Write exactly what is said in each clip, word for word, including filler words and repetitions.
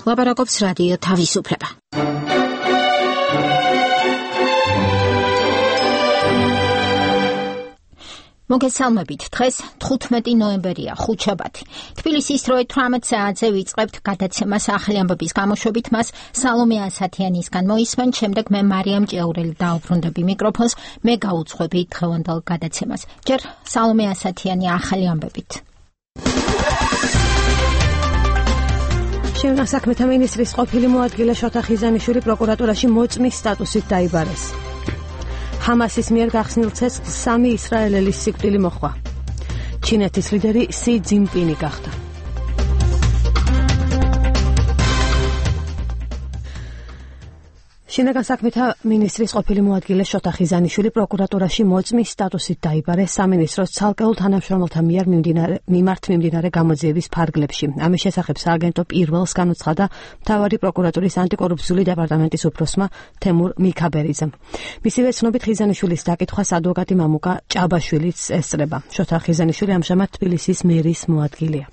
ლაპარაკობს რადიო თავისუფლება. მოგესალმებით, დღეს თხუთმეტი ნოემბერია, ხუთშაბათი. თბილისის დროით თვრამეტ საათზე ვიწყებთ გადაცემას ახალი ამბების გამოშვებით, მას სალომე ასათიანისგან მოისმენთ, შემდეგ მე მარიამ ჭეურელი დაუბრუნდები მიკროფონს, მე გაუძღვები დღევანდელ გადაცემას. ჯერ სალომე ასათიანი ახალი ამბებით. შინაგან საქმეთა მინისტრის ყოფილი მოადგილე შოთა ხიზანიშვილი პროკურატურაში მოწმის სტატუსით დაიბარეს. ჰამასის მიერ გახსნილ ცეცხლს სამი ისრაელელის სიკვდილი მოჰყვა. ჩინეთის ლიდერი სი ძინპინი გახდა. შინაგან საქმეთა მინისტრის ყოფილი მოადგილე შოთა ხიზანიშვილი პროკურატურაში მოწმის სტატუსით დაიბარეს სამინისტროს ცალკეულ თანამშრომელთა მიერ მიმართ მიმდინარე გამოძიების ფარგლებში. ამის შესახებ სააგენტო პირველს განუცხადა მთავარი პროკურატურის ანტიკორუფციული დეპარტამენტის უფროსმა თემურ მიქაბერიძემ. მისივე ცნობით ხიზანიშვილის დაკითხვას ადვოკატი მამუკა ჭაბაშვილიც ესწრება. შოთა ხიზანიშვილი ამჟამად თბილისის მერის მოადგილეა.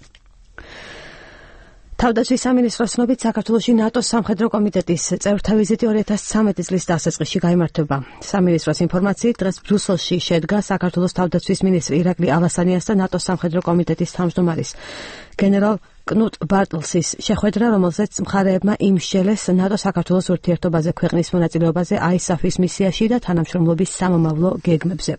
თავდაცვის სამინისტროს ცნობით საქართველოში ნატოს სამხედრო კომიტეტის წევრთა ვიზიტი ორი ათას ცხრამეტი წლის დასაწყისში გაიმართება. სამინისტროს ინფორმაციით დღეს ბრიუსელში შედგა საქართველოს თავდაცვის მინისტრი ირაკლი ალასანიას და ნატოს სამხედრო კომიტეტის თავმჯდომარის გენერალ კნუტ ბარტლსის შეხვედრა, რომელზეც მხარეებმა იმსჯელეს ნატო საქართველოს ურთიერთობაზე, ქვეყნის მონაწილეობაზე აისაფის მისიაში და თანამშრომლობის სამომავლო გეგმებზე.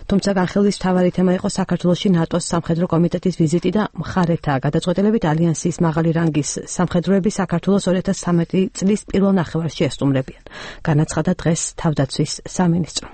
თუმცა განხილვის მთავარი თემა იყო საქართველოში ნატოს სამხედრო კომიტეტის ვიზიტი და მხარეთა გადაწყვეტილებით ალიანსის მაღალი რანგის სამხედროები საქართველოს ორი ათას ცხრამეტი წლის პირველ ნახევარში ესტუმრებიან. განაცხადა დღეს თავდაცვის სამინისტრო.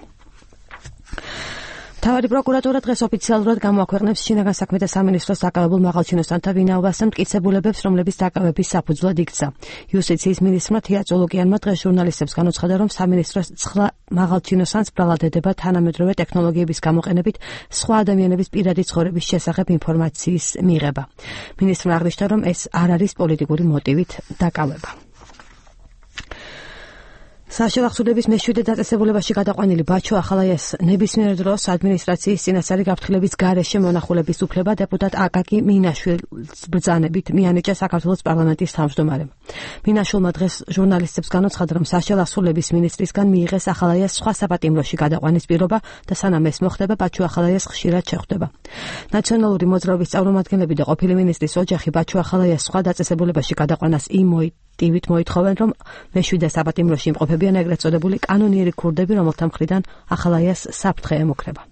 მთავარი პროკურატურა დღეს ოფიციალურად გამოაქვეყნებს შინაგან საქმეთა სამინისტროს დაკავებულ მაღალჩინოსანთა ვინაობას და მტკიცებულებებს, რომლების დაკავების საფუძვლად იქცა. იუსტიციის მინისტრმა თია წოლოკიანმა დღეს ჟურნალისტებს განუცხადა, რომ სამინისტროს ცხლა მაღალჩინოსანს ბრალადედება თანამედროვე ტექნოლოგიების გამოყენებით სხვა ადამიანების პირადი ცხოვრების შესახებ ინფორმაციის მიღება. მინისტრმა აღნიშნა, რომ ეს არ არის პოლიტიკური მოტივით დაკავება. საშუალო ახსოვდების მეშვიდე დაწესებულებაში გადაყვანილი ბაჩო ახალაიას ნებისმიერ დროს ადმინისტრაციის წინასწარი გაფრთხილების გარეშე მონახულების უფლება დეპუტატ აკაკი მინაშვილის ბრძანებით მიანიჭა საქართველოს პარლამენტის თავმჯდომარემ. მინაშვილმა დღეს ჟურნალისტებს განუცხადა, რომ საშუალო ახსოვდების მინისტრისგან მიიღეს ახალაიას სხვა საპატიმროში გადაყვანის პირობა და სანამ ეს მოხდება, ბაჩო ახალაიას ხშირად შეხვდება. ნაციონალური მოძრაობის წარმომადგენლები და ყოფილი მინისტრის ოჯახი ბაჩო ახალაიას სხვა დაწესებულებაში გადაყვანას იმ ტივით მოითხოვენ, რომ მეშვიდე საპატიმროში იმყოფებიან ეგრეთ წოდებული კანონიერი ქურდები, რომელთა მხრიდან ახალაიას საფრთხე ემუქრება.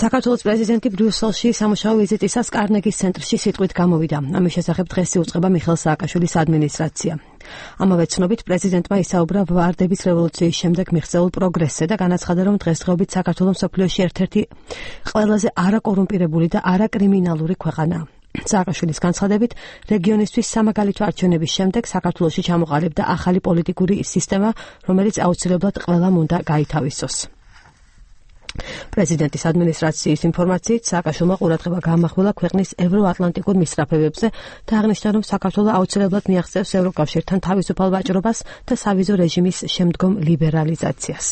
საქართველოს პრეზიდენტი ბრიუსელში სამუშაო ვიზიტისას კარნეგის ცენტრში სიტყვით გამოვიდა. ამის შესახებ დღეს იუწყება მიხეილ სააკაშვილის ადმინისტრაცია. ამავე ცნობით პრეზიდენტმა ისაუბრა ვარდების რევოლუციის შემდეგ მიღწეულ პროგრესზე და განაცხადა, რომ დღესდღეობით საქართველო მსოფლიოში ერთ-ერთი ყველაზე არაკორუმპირებული და არაკრიმინალური ქვეყანაა. სააკაშვილის განცხადებით, რეგიონისთვის სამაგალითო არჩევნების შემდეგ საქართველოში ჩამოყალიბდა ახალი პოლიტიკური სისტემა, რომელიც აუცილებლად ყველამ უნდა გაითავისოს. პრეზიდენტის ადმინისტრაციის ინფორმაციით, სააკაშვილმა ყურადღება გაამახვილა ქვეყნის ევროატლანტიკურ მისწრაფებებზე და აღნიშნა, რომ საქართველო აუცილებლად მიაღწევს ევროკავშირთან თავისუფალ ვაჭრობას და სავიზო რეჟიმის შემდგომ ლიბერალიზაციას.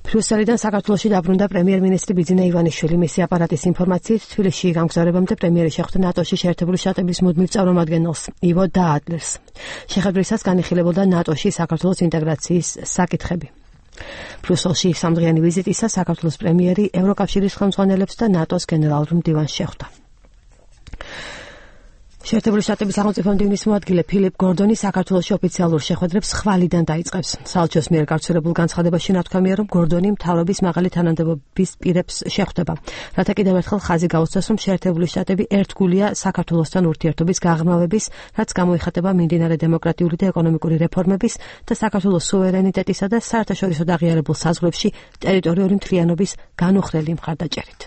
ბრიუსელიდან საქართველოში დაბრუნდა პრემიერ-მინისტრი ბიძინა ივანიშვილი. მისი აპარატის ინფორმაციით, თბილისში გამგზავრებამდე პრემიერი შეხვდა ნატოში შეერთებული შტატების მუდმივ წარმომადგენელს ივო დაადლერს. შეხვედრისას განიხილებოდა ნატოში საქართველოს ინტეგრაციის საკითხები. ბრიუსელში სამდღიანი ვიზიტისას საქართველოს პრემიერი ევროკავშირის ხელმძღვანელებს და ნატოს გენერალურ მდივანს შეხვდა. შეერთებული შტატების სახელმწიფო მდივნის მოადგილე ფილიპ გორდონი საქართველოში ოფიციალურ შეხვედრებს ხვალიდან დაიწყებს. საელჩოს მიერ გავრცელებულ განცხადებაში ნათქვამია, რომ გორდონი მთავრობის მაღალი თანამდებობის პირებს შეხვდება. რათა კიდევ ერთხელ ხაზი გაუწევს, რომ შეერთებული შტატები ერთგულია საქართველოსთან ურთიერთობის გაღრმავების, რაც გამოიხატება მიმდინარე დემოკრატიული და ეკონომიკური რეფორმების და საქართველოს სუვერენიტეტისა და საერთაშორისო აღიარებულ საზღვრებში ტერიტორიული მთლიანობის განუხრელი მხარდაჭერით.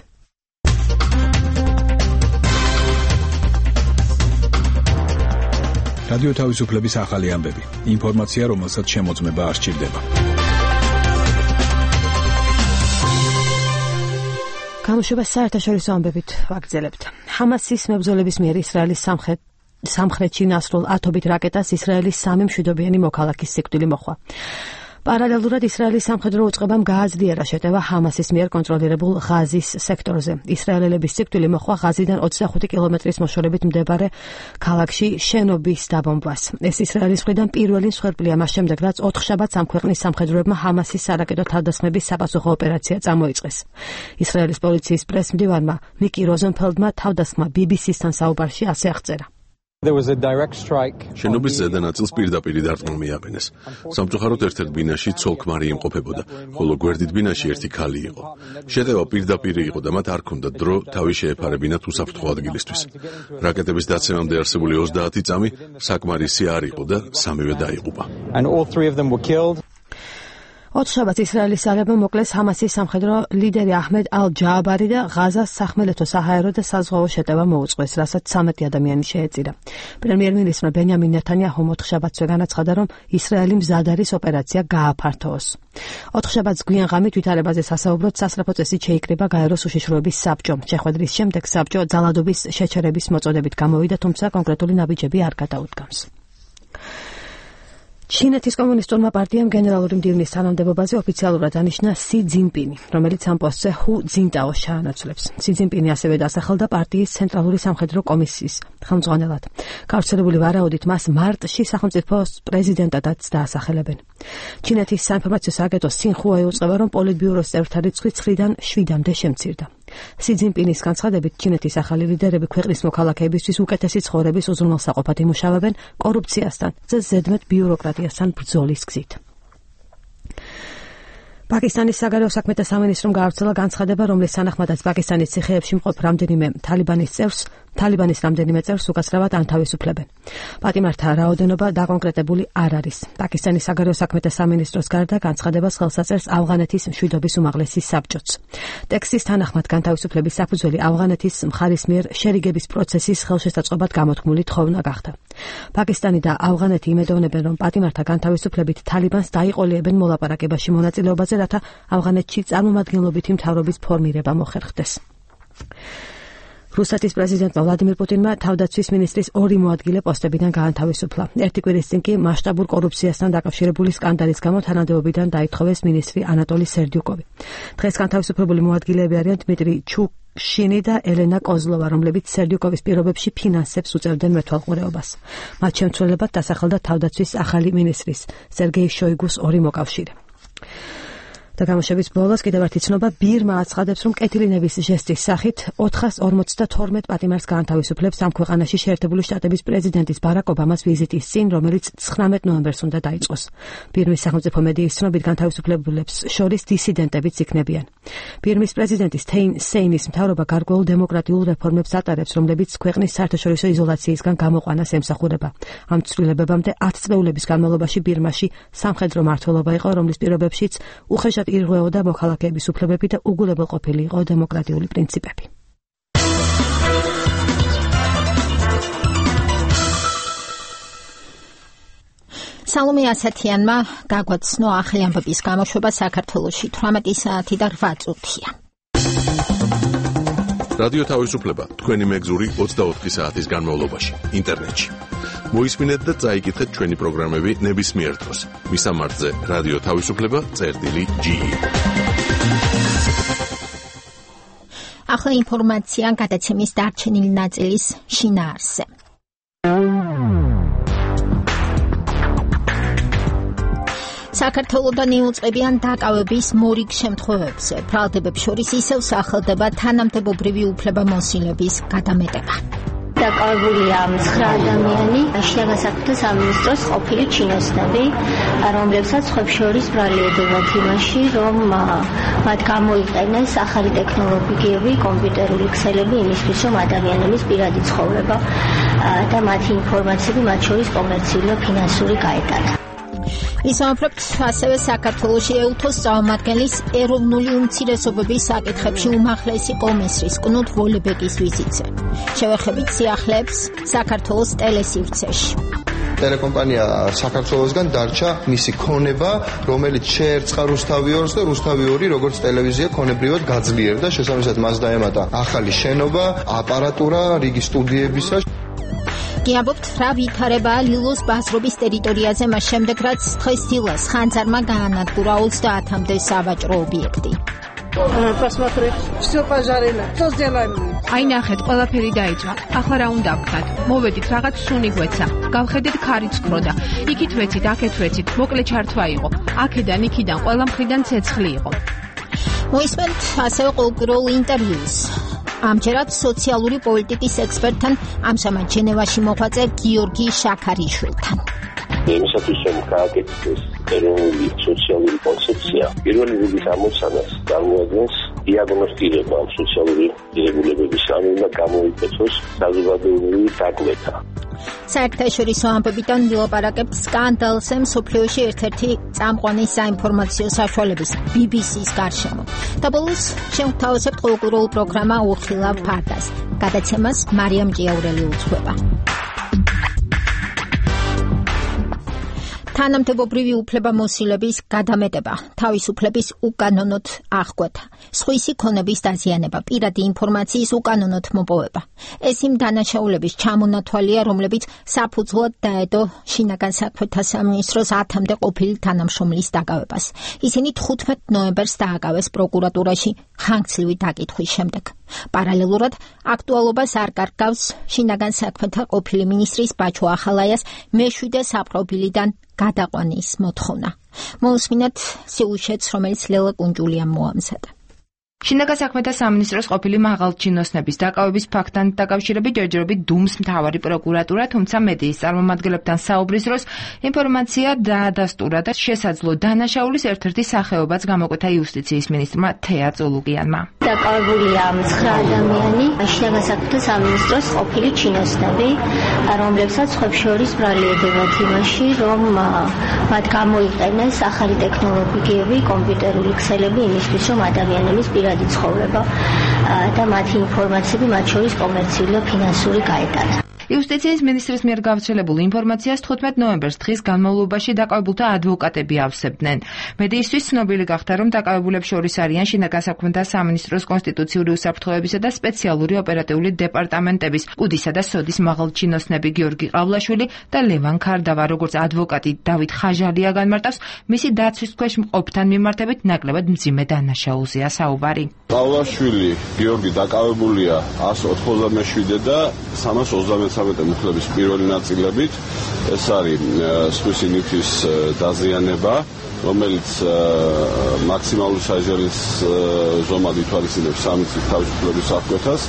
რადიო თავისუფლების ახალი ამბები. ინფორმაცია, რომელსაც შემოწმება არ სჭირდება. გამოშვება საერთაშორისო ამბებით ვაგრძელებთ. ჰამასის მებრძოლების მიერ ისრაელის სამხრეთ სამხრეთში ნასრულ ათობით რაკეტას ისრაელის სამი მშვიდობიანი მოქალაქის სიკვდილი მოჰყვა. პარალელურად ისრაელის სამხედრო უწყებამ გააძლიერა შეტევა ჰამასის მიერ კონტროლირებულ ღაზის სექტორზე. ისრაელელების სიკვდილი მოჰყვა ღაზიდან ოცდახუთი კილომეტრის მოშორებით მდებარე ქალაქში შენობის დაბომბვას. ეს ისრაელის მხრიდან პირველი მსხვერპლია მას შემდეგ, რაც ოთხშაბათს ამ ქვეყნის სამხედროებმა ჰამასის სარაკეტო თავდასხმების საპასუხო ოპერაცია წამოიწყეს. ისრაელის პოლიციის პრესმდივანმა ნიკი როზენფელდმა თავდასხმა ბი ბი სისთან საუბარში ასე აღწერა. შენობის ზედა ნაწილს პირდაპირ დარტყმა მიაყენეს. სამწუხაროდ ერთ-ერთ ბინაში ცოლ-ქმარი იმყოფებოდა, ხოლო გვერდით ბინაში ერთი ქალი იყო. შეტევა პირდაპირ იყო და მათ არ ჰქონდათ დრო თავი შეეფარებინათ უსაფრთხო ადგილისთვის. რაკეტების დაცემამდე არსებული ოცდაათი წამი საკმარისი არ იყო და სამივე დაიღუპა. ოთხშაბათს ისრაელის ძალებმა მოკლეს ჰამასის სამხედრო ლიდერი აჰმედ ალ-ჯააბარი და ღაზას სახმელეთო საჰაერო და საზღვაო შეტევა მოუწყვეს, რასაც ცამეტი ადამიანი შეეწირა. პრემიერ-მინისტრმა ბენიამინ ნეთანიაჰუმ ოთხშაბათსვე განაცხადა, რომ ისრაელი მზად არის ოპერაცია გააფართოოს. ოთხშაბათს გვიან ღამით ვითარებაზე სასაუბროდ სასწრაფო წესით შეიკრიბა გაეროს უშიშროების საბჭო. შეხვედრის შემდეგ საბჭო ძალადობის შეჩერების მოწოდებით გამოვიდა, თუმცა კონკრეტული ნაბიჯები არ გადაუდგამს. ჩინეთის კომუნისტურმა პარტიამ გენერალური მდივნის თანამდებობაზე ოფიციალურად ანიშნა სი ძინპინი, რომელიც ამ პოსტზე ჰუ ძინტაოს ჩაანაცვლებს. სი ძინპინი ასევე დასახელდა პარტიის ცენტრალური სამხედრო კომისიის ხელმძღვანელად. გავრცელებული ვარაუდით მას მარტში სახელმწიფო პრეზიდენტადაც დაასახელებენ. ჩინეთის საინფორმაციო სააგენტო სინხუა ეუწყება, რომ პოლიტბიუროს წევრთა რიცხვი ცხრიდან შვიდამდე შემცირდა. სი ძინპინის განცხადებით, ჩინეთის ახალი ლიდერები ქვეყნის მოქალაქეებისთვის უკეთესი ცხოვრების უზრუნველსაყოფად იმუშავებენ კორუფციასთან და ზედმეტ ბიუროკრატიასთან ბრძოლის გზით. პაკისტანის საგარეო საქმეთა სამინისტრომ გაავრცელა განცხადება, რომლის თანახმადაც პაკისტანის ციხეებში მყოფ რამდენიმე თალიბანის წევრს თალიბანის რამდენიმე წევრს უკაცრავად ანთავისუფლებენ. პატიმართა რაოდენობა დაკონკრეტებული არ არის. პაკისტანის საგარეო საქმეთა სამინისტროს გარდა განცხადებას ხელს აწერს ავღანეთის მშვიდობის უმაღლესი საბჭოც. ტექსტის თანახმად განთავისუფლების საფუძველი ავღანეთის მხარის მიერ შერიგების პროცესის ხელშესაწყობად გამოთქმული თხოვნა გახდა. პაკისტანი და ავღანეთი იმედოვნებენ, რომ პატიმართა განთავისუფლებით თალიბანს დაიყოლიებენ მოლაპარაკებაში მონაწილეობაზე, რათა ავღანეთში წარმომადგენლობითი მთავრობის ფორმირება მოხერხდეს. რუსეთის პრეზიდენტმა ვლადიმირ პუტინმა თავდაცვის მინისტრის ორი მოადგილე პოსტებიდან გაანთავისუფლა. ერთი კვირის წინ კი მასშტაბურ კორუფციასთან დაკავშირებული სკანდალის გამო თანამდებობიდან დაითხოვეს მინისტრი ანატოლი სერდიუკოვი. დღეს განთავისუფლებული მოადგილეები არიან დმიტრი ჩუშინი და ელენა კოზლოვა, რომლებიც სერდიუკოვის პირობებში ფინანსებს უწევდნენ მეთვალყურეობას. მათ შემცველებად დასახელდა თავდაცვის ახალი მინისტრის სერგეი შოიგუს ორი მოკავშირე. და გამოშვების ბოლოს კიდევ ერთი ცნობა ბირმა აცხადებს, რომ კეთილინების ჟესტის სახით ოთხას ორმოცდათორმეტ პატიმარს გაანთავისუფლებს ამ ქვეყანაში შეერთებული შტატების პრეზიდენტის ბარაკ ობამას ვიზიტის წინ, რომელიც ცხრამეტ ნოემბერს უნდა დაიწყოს. ბირმის სახელმწიფო მედიის ცნობით განთავისუფლებულებს შორის დისიდენტებიც იქნებიან. ბირმის პრეზიდენტის თეინ სეინის მთავრობა გარკვეულ დემოკრატიულ რეფორმებს ატარებს, რომლებიც ქვეყნის საერთაშორისო იზოლაციისგან გამოყვანას ემსახურება. ამ ცვლილებებამდე ათი წლების განმავლობაში ბირმაში სამხედრო მმართველობა იყო, რომლის პირობებშიც უხეშად ირღვეოდა მოქალაქეების უფლებები და უგულებელყოფილი იყო დემოკრატიული პრინციპები. სალომე ასათიანმა გაგვაცნო ახალი ამბების გამოშვება საქართველოში თვრამეტი საათი და რვა წუთია. რადიო თავისუფლება თქვენი მეგზური ოცდაოთხი საათის განმავლობაში ინტერნეტში. მოისმინეთ და წაიკითხეთ ჩვენი პროგრამები ნებისმიერ დროს. მისამართზე რადიო თავისუფლება წერტილი ჯი. ახლა ინფორმაცია გადაცემის დარჩენილი ნაწილის შინაარსზე. საქართველოდან იუწყებიან დაკავების მორიგ შემთხვევებზე. ბრალდებებს შორის ისევ სახელდება თანამდებობრივი უფლებამოსილების გადამეტება. დაკავებულია ცხრა ადამიანი შინაგან საქმეთა სამინისტროს ყოფილი ჩინოსნები, რომლებსაც ხებს შორის ბრალი ედებათ იმაში, რომ მათ გამოიყენეს ახალი ტექნოლოგიები, კომპიუტერული ქსელები იმისთვის, რომ ადამიანების პირადი ცხოვრება და მათი ინფორმაციები მათ შორის კომერციული და ფინანსური გაეტანა. ისაუბრებთ ასევე საქართველოში ეუთოს წარმომადგენლის ეროვნული უმცირესობების საკითხებში უმაღლესი კომისრის კნუთ ვოლებეკის ვიზიტზე. შევეხებით სიახლეებს საქართველოს ტელესივრცეში. ტელეკომპანია საქართველოსგან დარჩა მისი ქონება, რომელიც შეერწყა რუსთავი ორს და რუსთავი ორი როგორც ტელევიზია ქონებრივად გაძლიერდა. შესაბამისად მას დაემატა ახალი შენობა, აპარატურა, რიგი სტუდიებისა. გიამბობთ, რა ვითარებაა ლილოს ბაზრობის ტერიტორიაზე მას შემდეგ, რაც დღეს დილას ხანძარმა გაანადგურა ოცდაათამდე სავაჭრო ობიექტი. Посмотри, все пожарено. Что сделаем? Აი ნახეთ, ყველაფერი დაიჭრა. ახლა რა უნდა ვქნათ? მოვედით, რაღაც სუნი გვეცა. გავხედეთ ქარიც ქროდა. იქით ვეცით, აქეთ ვეცით. მოკლე ჩართვა იყო. აქედან, იქიდან, ყველა მხრიდან ცეცხლი იყო. მოისმენთ ასევე ყოველკვირეულ ინტერვიუს. ამჯერად სოციალური პოლიტიკის ექსპერტთან, ამჟამად ჟენევაში მოღვაწე გიორგი შაქარიშვილთან. Εμისათვის რომ გააკეთდეს ეროვნული სოციალური კონცეფცია, პირველი რიგის ამოცანას წარმოადგენს დიაგნოსტირება ამ სოციალური ღირებულებების, ანუ უნდა გამოიყენოს საზოგადოებრივი დაკვეთა. საერთაშორისო ამბებიდან ვილაპარაკებთ სკანდალზე მსოფლიოში ერთ-ერთი წამყვანი საინფორმაციო საშუალების ბი ბი სის გარშემო. და ბოლოს შევთავაზებთ ყოველკვირეულ პროგრამა უხილავ ფარდას. გადაცემას მარიამ ჭიაურელი უძღვება. თანამდებობრივი უფლებამოსილების გადამეტება, თავისუფლების უკანონოდ აღკვეთა, სხვისი ქონების დაზიანება, პირადი ინფორმაციის უკანონოდ მოპოვება. ეს იმ დანაშაულების ჩამონათვალია, რომლებიც საფუძვლად დაედო შინაგან საქმეთა სამინისტროს ათამდე ყოფილი თანამშრომლის დაკავებას. ისინი თხუთმეტ ნოემბერს დააკავეს პროკურატურაში ხანგრძლივი დაკითხვის შემდეგ. პარალელურად აქტუალობას არ კარგავს შინაგან საქმეთა ყოფილი მინისტრის ბაჩო ახალაიას მეშვიდე საპყრობილიდან გადაყვანის მოთხოვნა. მოусმინოთ სიუჟეტს, რომელიც ლელა კუნჯულიამ მოამზადა. შინაგან საქმეთა სამინისტროს ყოფილი მაღალჩინოსნების დაკავების ფაქტთან დაკავშირებით ჯერჯერობით დუმს მთავარი პროკურატურა, თუმცა მედიის წარმომადგენლებთან საუბრის დროს ინფორმაცია დაადასტურა და შესაძლო დანაშაულის ერთ-ერთი სახეობაც გამოკვეთა იუსტიციის მინისტრმა თეა წოლუკიანმა. დაკავებულია ცხრა ადამიანი შინაგან საქმეთა სამინისტროს ყოფილი ჩინოსნები, რომლებსაც ხებს შორის ბრალიერდებათ იმაში, რომ მათ გამოიყენეს ახალი ტექნოლოგიები, კომპიუტერული ქსელები იმისთვის, რომ ადამიანების პირადი ცხოვრება და მათი ინფორმაციები, მათ შორის კომერციული და ფინანსური გაეტანა. იუსტიციის მინისტრის მიერ გავრცელებულ ინფორმაციას თხუთმეტ ნოემბერს დღის განმავლობაში დაკავებულთა ადვოკატები ავსებდნენ. მედიისთვის ცნობილი გახდა, რომ დაკავებულებს შორის არიან შინაგან საქმეთა სამინისტროს კონსტიტუციური უსაფრთხოებისა და სპეციალური ოპერატიული დეპარტამენტების უდისა და სოდის მაღალჩინოსნები გიორგი ყავლაშვილი და ლევან ქარდავა, როგორც ადვოკატი დავით ხაჟალია განმარტავს, მისი დაცვის ქვეშ მყოფთან მიმართებით ნაკლებად მძიმე დანაშაულზეა საუბარი. ყავლაშვილი გიორგი დაკავებულია ასი ოთხმოცდამეშვიდე და სამას ოცდამეცხრამეტე მუხლების პირველი ნაწილებით. ეს არის სხვისი ნივთის დაზიანება, რომელიც მაქსიმალური საჯარის ზომად ითვალისწინებს სამი წლის თავისუფლების აღკვეთას.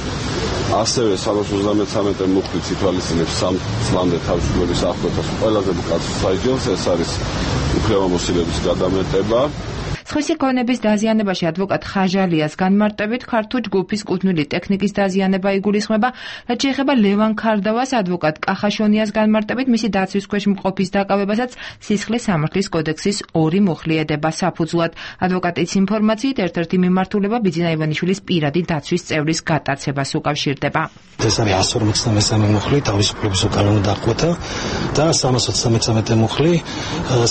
ასევე სამას ოცდამეცხრამეტე მუხლით ითვალისწინებს სამ წლამდე თავისუფლების აღკვეთას ყველაზე მკაცრ საჯელს. ეს არის უფლებამოსილების გადამეტება. სხვისი ქონების დაზიანებაში ადვოკატ ხაჟალიას განმარტებით ქართულ ჯგუფის კუთვნილი ტექნიკის დაზიანება იგულისხმება, რაც შეეხება ლევან ქარდავას ადვოკატ კახაშონიას განმარტებით მისი დაცვის ქვეშ მყოფის დაკავებასაც სისხლის სამართლის კოდექსის ორი მუხლიედება საფუძვლად. ადვოკატის ინფორმაციით ერთ-ერთი მიმართულება ბიძინა ივანიშვილის პირადი დაცვის წევრის გატაცებას უკავშირდება. ეს არის ასი ორმოცდამესამე მუხლი თავისუფლების უკანონო დახკვეთა და სამას ოცდამეცხრამეტე მუხლი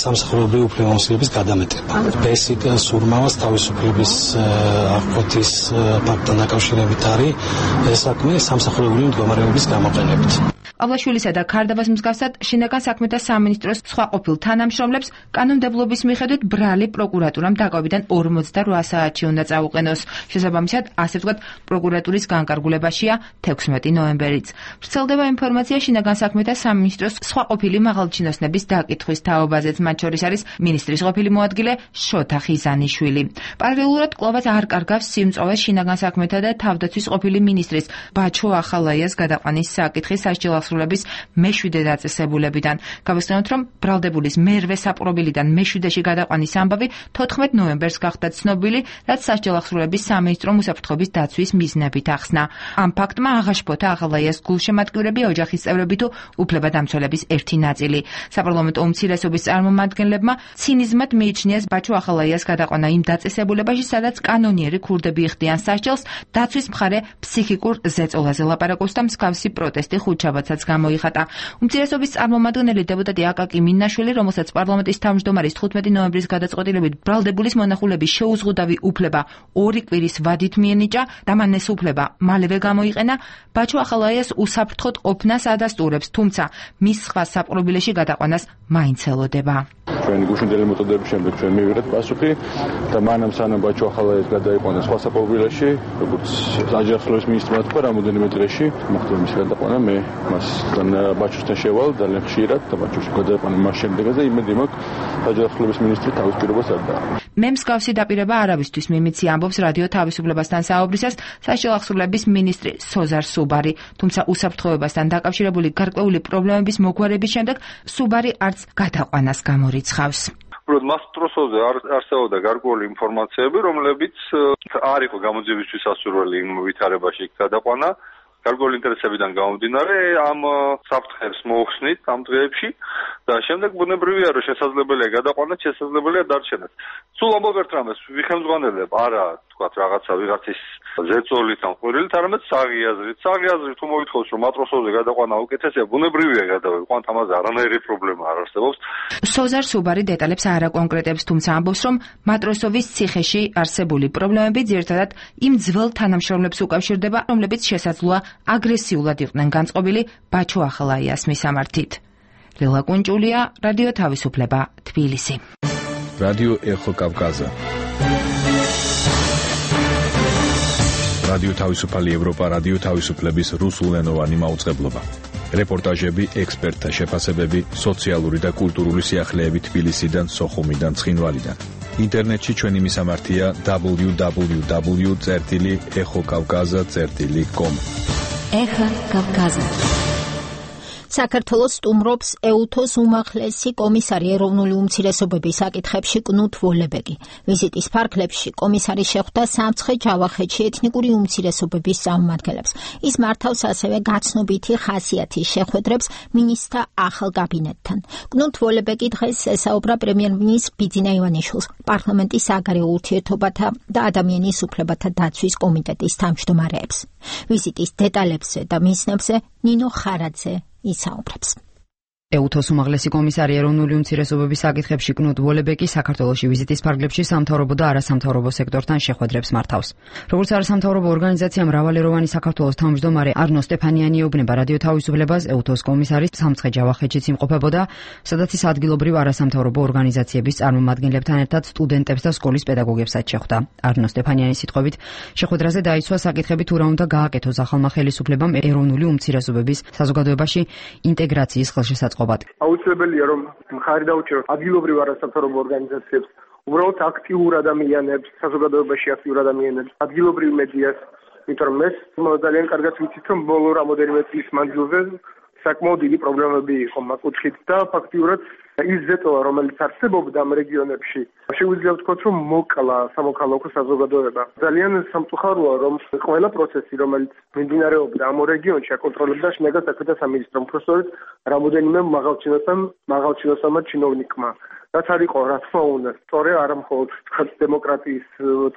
სამსახურებრივი უფლებამოსილების გადამეტება. ბესიკ სურმავას თავისუფლების აღკვეთის ფაქტთან დაკავშირებით არის ეს საქმე სამსახურებრივი მდგომარეობის გამოყენებით. ყავლაშვილისა და ქარდავას მსგავსად შინაგან საქმეთა სამინისტროს სხვა ყოფილ თანამშრომლებს კანონმდებლობის მიხედვით ბრალი პროკურატურამ დაკავებიდან ორმოცდაოთხ საათში უნდა წაუყენოს. შესაბამისად, ასე ვთქვათ, პროკურატურის განკარგულებაშია თექვსმეტი ნოემბერიც. ვრცელდება ინფორმაცია შინაგან საქმეთა სამინისტროს სხვა ყოფილი მაღალჩინოსნების დაკითხვის თაობაზეც, მათ შორის არის მინისტრის ყოფილი მოადგილე შოთა ხიზანიშვილი. პარალელურად კვლავაც არ კარგავს სიმწოვეს შინაგან საქმეთა და თავდაცვის ყოფილი მინისტრის ბაჩო ახალაიას გადაყვანის საკითხი სასჯელს სრულების მეშვიდე დაწესებულებიდან. გავიხსენოთ, რომ ბრალდებულის მერვე საპყრობილიდან მეშვიდეში გადაყვანის ამბავი თოთხმეტ ნოემბერს გახდა ცნობილი, რაც სასჯელახსრულების სამინისტრომ უსაფრთხოების დაცვის მიზნებით ახსნა. ამ ფაქტმა აღაშფოთა ახალაიას გულშემატკივრები, ოჯახის წევრები თუ უფლებადამცველების ერთი ნაწილი. საპარლამენტო უმცირესობის წარმომადგენლებმა ცინიზმად მიიჩნიეს ბაჩო ახალაიას გადაყვანა იმ დაწესებულებაში, სადაც კანონიერი ქურდები იხდიან სასჯელს, დაცვის მხარე ფსიქიკურ ზეწოლაზე ლაპარაკობს და მსგავსი პროტესტი ხუთშაბათსაც გამოიხატა. უმცირესობის წარმომადგენელი დეპუტატი აკაკი მინაშვილი, რომელსაც პარლამენტის თავმჯდომარის თხუთმეტი ნოემბრის გადაწყვეტილებით ბრალდებულის მონახულების შეუზღუდავი უფლება ორი კვირის ვადით მიენიჭა და მან ეს უფლება მალევე გამოიყენა, ბაჩო ახალაიას უსაფრთხოდ ყოფნას ადასტურებს, თუმცა მის სხვა საპყრობილეში გადაყვანას მაინც ელოდება. ჩვენი გუშინდელი მეთოდების შემდეგ ჩვენ მივიღეთ პასუხი და მანამ სანამ ბაჩო ახალაიას გადაიყვანა სხვა საპყრობილეში, როგორც აჯანყების მინისტრმა თქვა, რამოდენიმე დღეში მოხდა მის გადაყვანა, მე მასთან ბაჩოსთან შევალ ძალიან ხშირად და ბაჩოში გადაიყვანა მას შემდეგაზე იმედი მაქვს აჯანყების მინისტრი თავის პირობას არ დააყენოს. მე მსგავსი დაპირება არავისთვის მიმიცი, ამბობს რადიო თავისუფლებასთან საუბრისას სასჯელ ახსრულების მინისტრი სოზარ სუბარი, თუმცა უსაფრთხოებასთან დაკავშირებული გარკვეული პრობლემების მოგვარების შემდეგ სუბარი არც გადაყვანას გამორიცხავს. მასტროსოზე არსებობდა გარკვეული ინფორმაციები, რომლებიც არ იყო გამოძიებისთვის სასურველი იმ ვითარებაში გადაყვანა. გარკვეული ინტერესებიდან გამომდინარე ამ საფრთხეს მოუხსნით ამ დღეებში და შემდეგ ბუნებრივია რომ შესაძლებელია გადაყვანა, შესაძლებელია დარჩენაც. სულ ამბობ ერთ რამეს ვიხელმძღვანელებ არა თქვათ რაღაცა ვიღაცის ზეწოლით ან ყვირილით, არამედ საღი აზრით. საღი აზრით თუ მოითხოვს რომ მატროსოზე გადაყვანა უკეთესია, ბუნებრივია გადავიყვანთ, ამაზე არანაირი პრობლემა არ არსებობს. სოზარ სუბარი დეტალებს არ აკონკრეტებს, თუმცა ამბობს რომ მატროსოვის ციხეში არსებული პრობლემები ძირითადად იმ ძველ თანამშრომლებს უკავშირდება, რომლებიც შესაძლოა აგრესიულად იყვნენ განწყობილი ბაჩო ახალაიას მისამართით. ლელა კუნჭულია, რადიო თავისუფლება, თბილისი. რადიო ეხო კავკაზა. რადიო თავისუფალი ევროპა, რადიო თავისუფლების რუსულენოვანი მაუწყებლობა. რეპორტაჟები, ექსპერტთა შეფასებები, სოციალური და კულტურული სიახლეები თბილისიდან, სოხუმიდან, ცხინვალიდან. ინტერნეტში ჩვენი მისამართია დაბლიუ დაბლიუ დაბლიუ წერტილი ეხო კავკაზა წერტილი კომ. ეხა კავკაზა. საქართველოს სტუმრობს ეუთოს უმაღლესი კომისარი ეროვნული უმცირესობების საკითხებში კნუტ ვოლებეგი. ვიზიტის ფარგლებში კომისარი შეხვდა სამცხე-ჯავახეთში ეთნიკური უმცირესობების წარმომადგენლებს. ის მართავს ასევე გაცნობითი ხასიათის შეხვედრებს მინისტრთა ახალ კაბინეტთან. კნუტ ვოლებეგი დღეს ესაუბრა პრემიერ-მინისტრ ბიძინა ივანიშვილს, პარლამენტის საგარეო ურთიერთობათა და ადამიანის უფლებათა დაცვის კომიტეტის თავმჯდომარეებს. ვიზიტის დეტალებზე და მიზნებზე ნინო ხარაძე ისაუბრებს. ეუთოს უმაღლესი კომისარი ეროვნული უმცირესობების საკითხებში კნუტ ვოლებეგი საქართველოში ვიზიტის ფარგლებში სამთავრობო და არასამთავრობო სექტორთან შეხვედრებს მართავს. როგორც არასამთავრობო ორგანიზაცია მრავალეროვანი საქართველოს თავმჯდომარე არნო სტეფანიანი ეუბნება რადიო თავისუფლებას, ეუთოს კომისარი სამცხე-ჯავახეთშიც იმყოფებოდა, სადაც ის ადგილობრივ არასამთავრობო ორგანიზაციების წარმომადგენლებთან ერთად სტუდენტებს და სკოლის პედაგოგებსაც შეხვდა. არნო სტეფანიანის სიტყვებით, შეხვედრაზე დაისვა საკითხები თუ რა უნდა გააკეთოს ახალმა ხელისუფლებამ ეროვნული უმცირესობების საზოგადოებაში ინტეგრაციის ხელშესაწყობად. აუცილებელია რომ მხარი დაუჭიროს ადგილობრივ არასამთავრობო ორგანიზაციებს, უბრალოდ აქტიურ ადამიანებს, საზოგადოებაში აქტიურ ადამიანებს, ადგილობრივ მედიას, იმიტომ რომ ეს ძალიან კარგად ვიცით რომ ბოლო რამოდენიმე წლის მანძილზე საკმაოდ დიდი პრობლემები იყო მაგ კუთხით და ფაქტიურად ის ზეწოლა, რომელიც არსებობდა ამ რეგიონებში, შეგვიძლია ვთქვათ, რომ მოკლა სამოქალაქო საზოგადოება. ძალიან სამწუხაროა, რომ ყველა პროცესი, რომელიც მიმდინარეობდა ამ რეგიონში, აკონტროლებდა შინაგან საქმეთა სამინისტრო, უბრალოდ რამოდენიმე მაღალჩინოსან, მაღალჩინოსანმა ჩინოვნიკმა. რაც არ იყო, რა თქმა უნდა, სწორე არა მხოლოდ თქვათ დემოკრატიის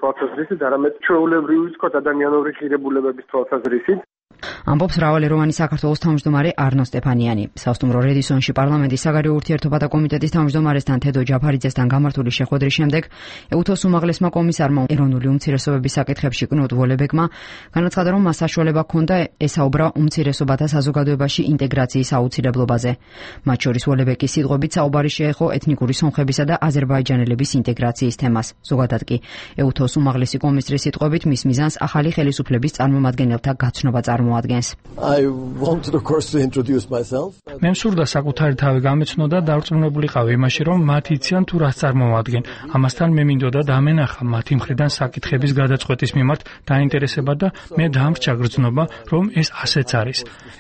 თვალსაზრისით, არამედ ჩვეულებრივი თქვათ ადამიანური ღირებულებების თვალსაზრისით. ამბობს მრავალეროვანი საქართველოს თავმჯდომარე არნო სტეფანიანი. სასტუმრო რედისონში პარლამენტის საგარეო ურთიერთობათა კომიტეტის თავმჯდომარესთან თედო ჯაფარიძესთან გამართული შეხვედრის შემდეგ ეუთოს უმაღლესმა კომისარმა ეროვნული უმცირესობების საკითხებში კნუტ ვოლებეგმა განაცხადა, რომ მას საშუალება ჰქონდა ესაუბრა უმცირესობათა საზოგადოებაში ინტეგრაციის აუცილებლობაზე. მათ შორის ვოლებეგის სიტყვებით საუბარი შეეხო ეთნიკური სომხებისა და აზერბაიჯანელების ინტეგრაციის თემას. ზოგადად კი ეუთოს უმაღლესი კომისრის სიტყვებით მის მიზანს ახალი ხელისუფლების წარმომადგენელთა გაცნობა წარმოადგენს. მე მსურდა საკუთარი თავი გამეცნო და დარწმუნებულიყავი იმაში, რომ მათ იციან თუ რას წარმოადგენენ. ამასთან მე მინდოდა დამენახა მათი მხრიდან საკითხების გადაწყვეტის მიმართ დაინტერესება და მე დამრჩა გრძნობა, რომ ეს ასეც არის.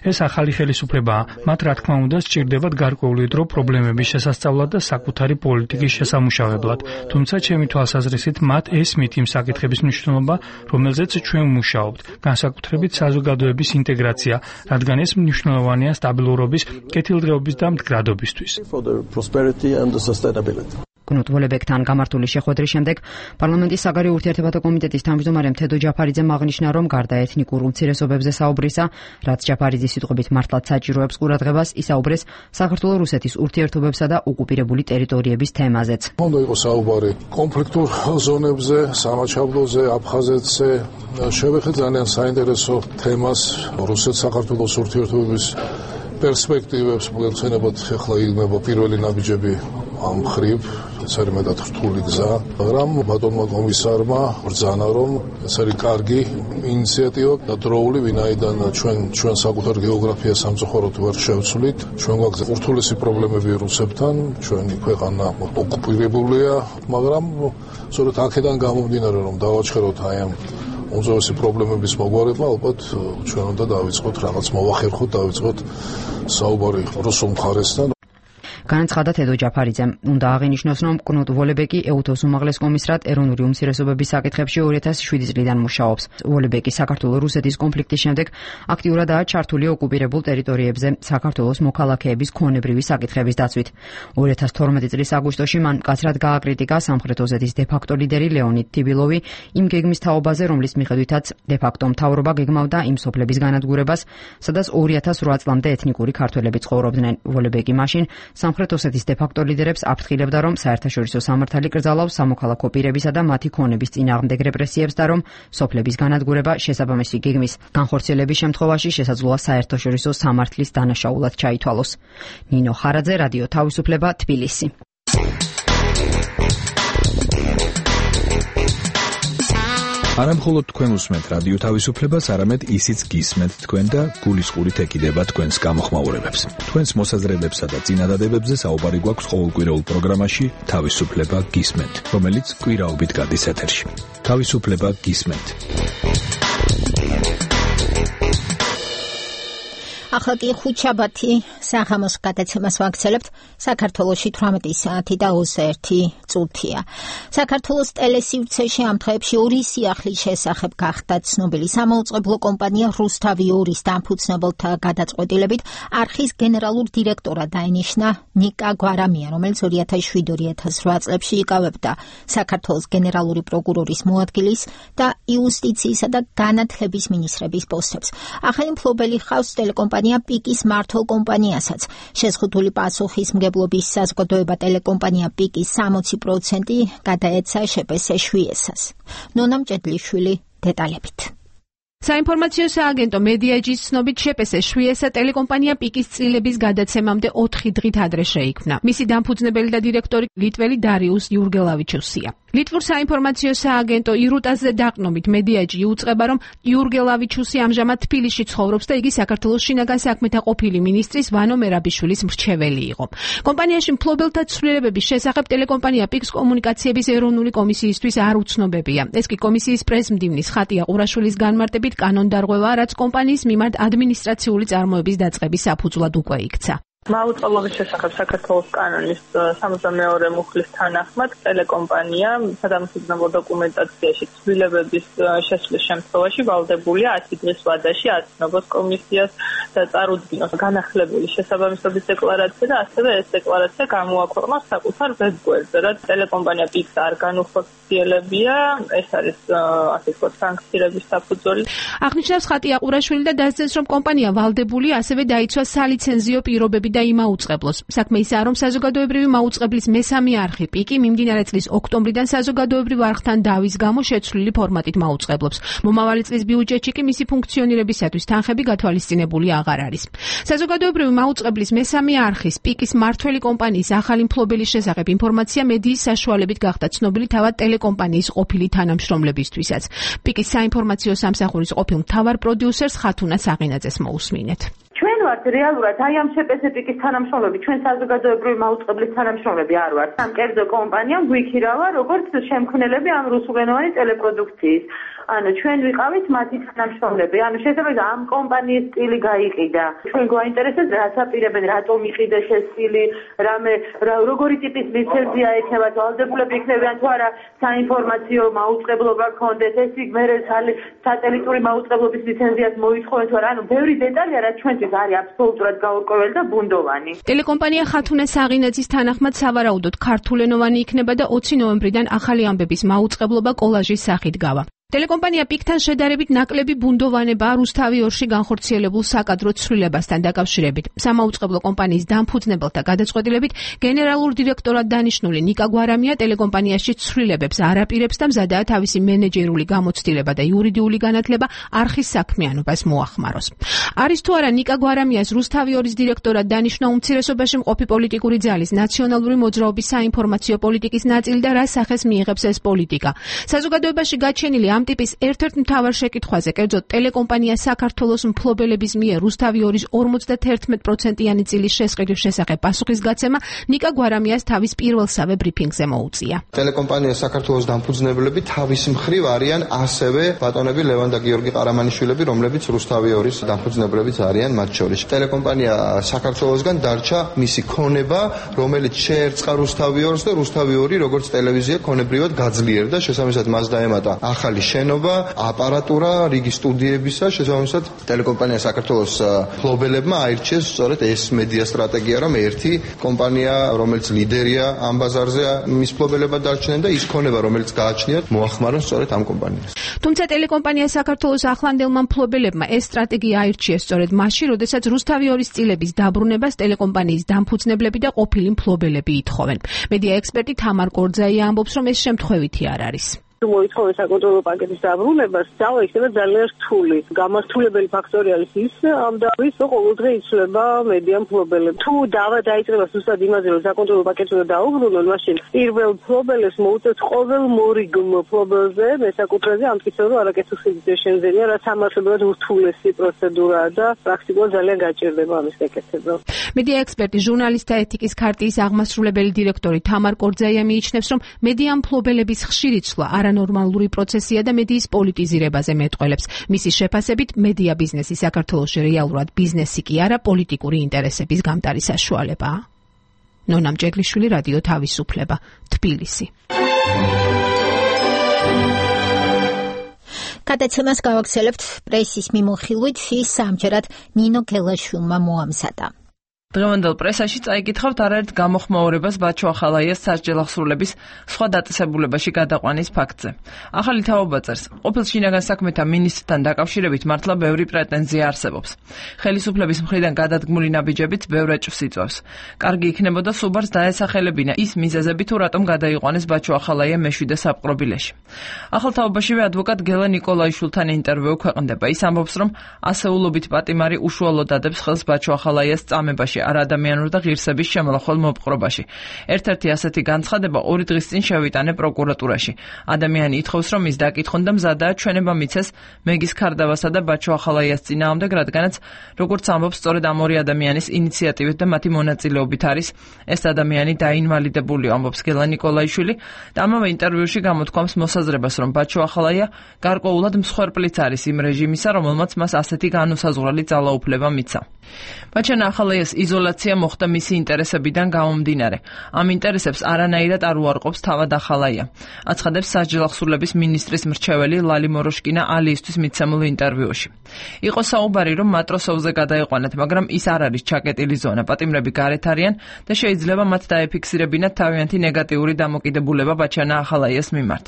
ეს ახალი ხელისუფლებაა, მათ რა თქმა უნდა სჭირდებათ გარკვეული დრო პრობლემების შესასწავლად და საკუთარი პოლიტიკის შესამუშავებლად. თუმცა ჩემი თვალსაზრისით მათ ესმით იმ საკითხების მნიშვნელობა, რომელზეც ჩვენ ვმუშაობთ, განსაკუთრებით საზოგადოების ინტეგრაცია, რადგან ეს მნიშვნელოვანია სტაბილურობის, კეთილდღეობის და მდგრადობისთვის. კნუტ ვოლებეკთან გამართული შეხვედრის შემდეგ პარლამენტის საგარეო ურთიერთობათა კომიტეტის თავმჯდომარემ თედო ჯაფარიძემ აღნიშნა, რომ გარდა ეთნიკურ უმცირესობებზე საუბრისა, რაც ჯაფარიძის სიტყვებით მართლაც საჭიროებს ყურადღებას, ისაუბრეს საქართველო-რუსეთის ურთიერთობებსა და ოკუპირებული ტერიტორიების თემაზეც. უნდა იყოს საუბარი კონფლიქტურ ზონებზე, სამაჩაბლოზე, აფხაზეთზე. შევეხეთ ძალიან საინტერესო თემას რუსეთ-საქართველოს ურთიერთობების პერსპექტივებს, მოგეხსენებათ, ახლა იგნება პირველი ნაბიჯები ამ ხრივ, ეს არის მეტად რთული გზა, მაგრამ ბატონმა კომისარმა ბრძანა, რომ ეს არის კარგი ინიციატივა და დროული, ვინაიდან ჩვენ ჩვენ საკუთარ გეოგრაფიას სამწუხაროდ ვერ შევცვლით, ჩვენ გვაქვს ურთულესი პრობლემები რუსებთან, ჩვენი ქვეყანა ოკუპირებულია, მაგრამ სწორედ აქედან გამომდინარე, რომ დავაჩხეროთ აი ამ უმძიმესი პრობლემების მოგვარება, ალბათ ჩვენ უნდა დავიწყოთ რაღაც მოვახერხოთ, დავიწყოთ საუბარი რუსულ მხარესთან. განაცხადა თედო ჯაფარიძემ. უნდა აღინიშნოს, რომ კნუტ ვოლებეკი ეუთოს უმაღლეს კომისრად ეროვნული უმცირესობების საკითხებში ორი ათას შვიდი წლიდან მუშაობს. ვოლებეკი საქართველო-რუსეთის კონფლიქტის შემდეგ აქტიურადაა ჩართული ოკუპირებულ ტერიტორიებზე საქართველოს მოქალაქეების ქონებრივი საკითხების დაცვით. ორი ათას თორმეტი წლის აგვისტოში მან მკაცრად გააკრიტიკა სამხრეთ ოსეთის დე-ფაქტო ლიდერი ლეონიდ თიბილოვი იმ გეგმის თაობაზე, რომლის მიხედვითაც დე-ფაქტო მთავრობა გეგმავდა იმ სოფლების განადგურებას, სადაც ორი ათას რვა წლამდე ეთნიკური ქართველები ცხოვრობდნენ. ვოლებეკი მაშინ სამხრეთ ოსეთის დე-ფაქტო ლიდერებს აფრთხილებდა, რომ საერთაშორისო სამართალი კრძალავს სამოქალაქო პირებისა და მათი ქონების წინააღმდეგ რეპრესიებს და რომ სოფლების განადგურება შესაბამისი გეგმის განხორციელების შემთხვევაში შესაძლოა საერთაშორისო სამართლის დანაშაულად ჩაითვალოს. ნინო ხარაძე, რადიო თავისუფლება, თბილისი. არა მხოლოდ თქვენ უსმენთ რადიო თავისუფლებას, არამედ ისიც გისმენთ თქვენ და გულისყურით ეკიდება თქვენს გამოხმაურებებს. თქვენს მოსაზრებებსა და წინადადებებზე საუბარი გვაქვს ყოველკვირეულ პროგრამაში თავისუფლება გისმენთ, რომელიც კვირაობით გადის ეთერში. თავისუფლება გისმენთ. ახლა კი ხუთშაბათი საღამოს გადაცემას ვაგრძელებთ. საქართველოში თვრამეტი საათი და ოცდაერთი წუთია. საქართველოს ტელესივრცეში ამ დღეებში ორი სიახლის შესახებ გახდა ცნობილი. სამაუწყებლო კომპანია რუსთავი ორის დამფუძნებელთა გადაწყვეტილებით არხის გენერალურ დირექტორად დაინიშნა ნიკა გვარამია, რომელიც ორი ათას შვიდი ორი ათას რვა წლებში იკავებდა საქართველოს გენერალური პროკურორის მოადგილის და იუსტიციისა და განათლების მინისტრების პოსტებს. ახალი მფლობელი ხავს ტელეკომპანია პიკის მართულ კომპანიასაც. შეზღუდული პასუხისმგებლობის საზოგადოება ტელეკომპანია პიკის სამოცი პროცენტი გადაეცა შპს შვიესას. ნონა მჭედლიშვილი დეტალებით. საინფორმაციო სააგენტო მედიაჯის ცნობით შპს შვიესა ტელეკომპანია პიკის წილების გადაცემამდე ოთხი დღით ადრე შეიქმნა. მისი დამფუძნებელი და დირექტორი ლიტველი დარიუს იურგელავიჩუსია. ლიტვურ საინფორმაციო სააგენტო ირუტაზე დაყნობით მედიაჯი იუწყება, რომ იურგელავიჩუსი ამჟამად თბილისში ცხოვრობს და იგი საქართველოს შინაგან საქმეთა ყოფილი მინისტრის ვანო მერაბიშვილის მრჩეველი იყო. კომპანიაში მფლობელთა ცვლილებების შესახებ ტელეკომპანია პიკს კომუნიკაციების ეროვნული კომისიისთვის არ უცნობებია. ეს კი კომისიის პრეზმდივნის ხატია ყურაშვილის განმარტებით კანონდარღვევაა, რაც კომპანიის მიმართ ადმინისტრაციული წარმოების დაწყების საფუძვლად უკვე იქცა. მაუწყებლობის შესახებ საქართველოს კანონის სამოცდამეორე მუხლის თანახმად ტელეკომპანია სადამსჯელო დოკუმენტაციაში ცვლილებების შესვლის შემთხვევაში ვალდებულია ათი დღის ვადაში აცნობს კომისიას და წარუდგინოს განახლებული შესაბამისობის დეკლარაცია და ასევე ეს დეკლარაცია გამოაქვეყნოს საკუთარ ვებგვერდზე, რაც ტელეკომპანია პიკს არ განუხორციელებია, ეს არის ასე ვთქვათ სანქციების საფუძველი. აღნიშნავს ხატია ყურაშვილი და დასძენს, რომ კომპანია ვალდებულია ასევე დაიცვა სალიცენზიო პირობები და იმაუწყებლოს. საქმე ისაა, რომ საზოგადოებრივი მაუწყებლის მესამე არხი პიკი მიმდინარე წლის ოქტომბრიდან საზოგადოებრივ არხთან დავის გამო შეცვლილი ფორმატით მაუწყებლობს. მომავალი წლის ბიუჯეტში კი მისი ფუნქციონირებისათვის თანხები გათვალისწინებული აღარ არის. საზოგადოებრივი მაუწყებლის მესამე არხის პიკის მართველი კომპანიის ახალი მფლობელის შესახებ ინფორმაცია მედიის საშუალებით გახდა ცნობილი თავად ტელეკომპანიის ყოფილი თანამშრომლებისთვისაც. პიკის საინფორმაციო სამსახურის ყოფილ მთავარ პროდიუსერს ხათუნა საღინაძეს მოусმინეთ. ჩვენ ვართ რეალურად აი ამ შეპესეპიკის თანამშრომლები, ჩვენ საზოგადოებრივი მაუწყებლის თანამშრომლები არ ვართ. ამ კერძო კომპანიამ გვიქირავა როგორც შემქმნელები ამ რუსულენოვანი ტელეპროდუქციის. ანუ ჩვენ ვიყავით მათი თანამშრომლები. ანუ შესაძლოა ამ კომპანიის სტილი გაიყიდა. ჩვენ გვაინტერესებს რაც აპირებენ, რატომ იყიდეს ეს სტილი, რამე როგორი ტიპის ლიცენზია ექნება, ვალდებულები იქნებიან თუ არა საინფორმაციო მაუწყებლობა გქონდეს, ეს იქ მე სატელიტური მაუწყებლობის ლიცენზიას მოითხოვენ თუ არა. ანუ ბევრი დეტალია, რაც ჩვენთვის არის აბსოლუტურად გაურკვეველი და ბუნდოვანი. ტელეკომპანია ხათუნე საღინაძის თანახმად სავარაუდოდ ქართულენოვანი იქნება და ოცი ნოემბრიდან ახალი ამბების მაუწყებლობა კოლაჟის სახით გავა. ტელეკომპანია პიკთან შედარებით ნაკლები ბუნდოვანებაა რუსთავი ორში განხორციელებულ საკადრო ცვლილებასთან დაკავშირებით. სამაუწყებლო კომპანიის დამფუძნებელთა გადაწყვეტილებით გენერალურ დირექტორად დანიშნული ნიკა გვარამია ტელეკომპანიაში ცვლილებებს არ აპირებს და მზადაა თავისი მენეჯერული გამოცდილება და იურიდიული განათლება არხის საქმიანობას მოახმაროს. არის თუ არა ნიკა გვარამიას რუსთავი ორის დირექტორად დანიშნა უმცირესობაში მყოფი პოლიტიკური ძალის ნაციონალური მოძრაობის საინფორმაციო პოლიტიკის ნაწილი და რა სახეს მიიღებს ეს პოლიტიკა. საზოგადოებაში გაჩენილი ამ ტიპის ერთ-ერთ მთავარ შეკითხვაზე, კერძოდ ტელეკომპანია საქართველოს მფლობელების მიერ რუსთავი ორის ორმოცდაერთმეტი პროცენტიანი წილის შესყიდვის შესახებ პასუხისგაცემა ნიკა გვარამიას თავის პირველსავე ბრიფინგზე მოუწია. ტელეკომპანია საქართველოს დამფუძნებლები თავის მხრივ არიან ასევე ბატონები ლევან და გიორგი ყარამანიშვილები, რომლებიც რუსთავი ორის დამფუძნებლებიც არიან მათ შორის. ტელეკომპანია საქართველოსგან დარჩა მისი ქონება, რომელიც შეერწყა რუსთავი ორს და რუსთავი ორი როგორც ტელევიზია ქონებრივად გაძლიერდა, შესაბამისად მას დაემატა ახალი შენობა, აპარატურა, რიგი სტუდიებისა, შესაბამისად ტელეკომპანია საქართველოს მფლობელებმა აირჩიეს სწორედ ეს მედია სტრატეგია, რომ ერთი კომპანია, რომელიც ლიდერია ამ ბაზარზე, მის მფლობელებად დარჩნენ და ის ქონება, რომელიც გააჩნიათ, მოახმარონ სწორედ ამ კომპანიას. თუმცა ტელეკომპანია საქართველოს ახლანდელმა მფლობელებმა ეს სტრატეგია აირჩიეს სწორედ მაშინ, როდესაც რუსთავი ორის წილების დაბრუნებას ტელეკომპანიის დამფუძნებლები და ყოფილი მფლობელები ითხოვენ. მედია ექსპერტი თამარ კორძაია ამბობს, რომ ეს შემთხვევითი არ არის. მოითხოვეს საკონტროლო პაკეტის დაბრუნებას, ძალა იქნება ძალიან რთული. გამართულებელი ფაქტორი არის ის ამ დავის, რომ ყოველდღე იცვლება მედია მფლობელები. თუ დავა დაიწყება ზუსტად იმაზე, რომ საკონტროლო პაკეტი უნდა დაუბრუნონ, მაშინ პირველ მფლობელებს მოუწევთ ყოველ მორიგ მფლობელზე მესაკუთრეზე ამტკიცონ, რომ არაკეთილ სიგრძე შემზენია, რაც ამართლებლად ურთულესი პროცედურაა და პრაქტიკულად ძალიან გაჭირდება ამის გაკეთება. მედია ექსპერტი, ჟურნალისტთა ეთიკის ქარტიის აღმასრულებელი დირექტორი თამარ კორძაია მიიჩნევს, რომ მედია მფლობელების ხშირი ცვლა არანორმალური პროცესია და მედიის პოლიტიზირებაზე მეტყველებს. მისი შეფასებით, მედია ბიზნესი საქართველოში რეალურად ბიზნესი კი არა, პოლიტიკური ინტერესების გამტარი საშუალებაა. ნონა მჭეგლიშვილი, რადიო თავისუფლება, თბილისი. გადაცემას გავაგრძელებთ პრესის მიმოხილვით, ის სამჯერად ნინო გელაშვილმა მოამზადა. დღევანდელ პრესაში წაიკითხავთ არაერთ გამოხმაურებას ბაჩო ახალაიას სასჯელ აღსრულების სხვა დაწესებულებაში გადაყვანის ფაქტზე. ახალი თაობა წერს, ყოფილ შინაგან საქმეთა მინისტრთან დაკავშირებით მართლა ბევრი პრეტენზია არსებობს. ხელისუფლების მხრიდან გადადგმული ნაბიჯებიც ბევრ ეჭვს იწვევს. კარგი იქნებოდა სუბარს დაესახელებინა ის მიზეზები თუ რატომ გადაიყვანეს ბაჩო ახალაია მეშვიდე საპყრობილეში. ახალ თაობაშივე ადვოკატ გელა ნიკოლაიშვილთან ინტერვიუ ქვეყნდება. ის ამბობს, რომ ასეულობით პატიმარი უშუალოდ ადებს ხელს ბაჩო ახალაიას წამებაში არადამიანურ და ღირსების შემლახვალ მოპყრობაში. ერთ-ერთი ასეთი განცხადება ორი დღის წინ შევიტანე პროკურატურაში. ადამიანი ითხოვს, რომ ის დაკითხონ და მზადაა ჩვენება მიცეს მეგის ქარდავასა და ბაჩო ახალაიას წინააღმდეგ, რადგანაც როგორც ამბობს, სწორედ ამ ორი ადამიანის ინიციატივით და მათი მონაწილეობით არის ეს ადამიანი დაინვალიდებული, ამბობს გელა ნიკოლაიშვილი და ამავე ინტერვიუში გამოთქვამს მოსაზრებას, რომ ბაჩო ახალაია გარკვეულად მსხვერპლიც არის იმ რეჟიმისა, რომელმაც მას ასეთი განუსაზღვრელი ძალაუფლება მიცა. ბაჩანა ახალაიას იზოლაცია მოხდა მისი ინტერესებიდან გამომდინარე. ამ ინტერესებს არანაირად არ უარყოფს თავად ახალაია. აცხადებს სასჯელ აღსრულების მინისტრის მრჩეველი ლალი მოროშკინა ალიისთვის მიცემულ ინტერვიუში. იყო საუბარი, რომ მატროსოვზე გადაიყვანათ, მაგრამ ის არ არის ჩაკეტილი ზონა. პატიმრები გარეთ არიან და შეიძლება მათ დაეფიქსირებინათ თავიანთი ნეგატიური დამოკიდებულება ბაჩანა ახალაიას მიმართ.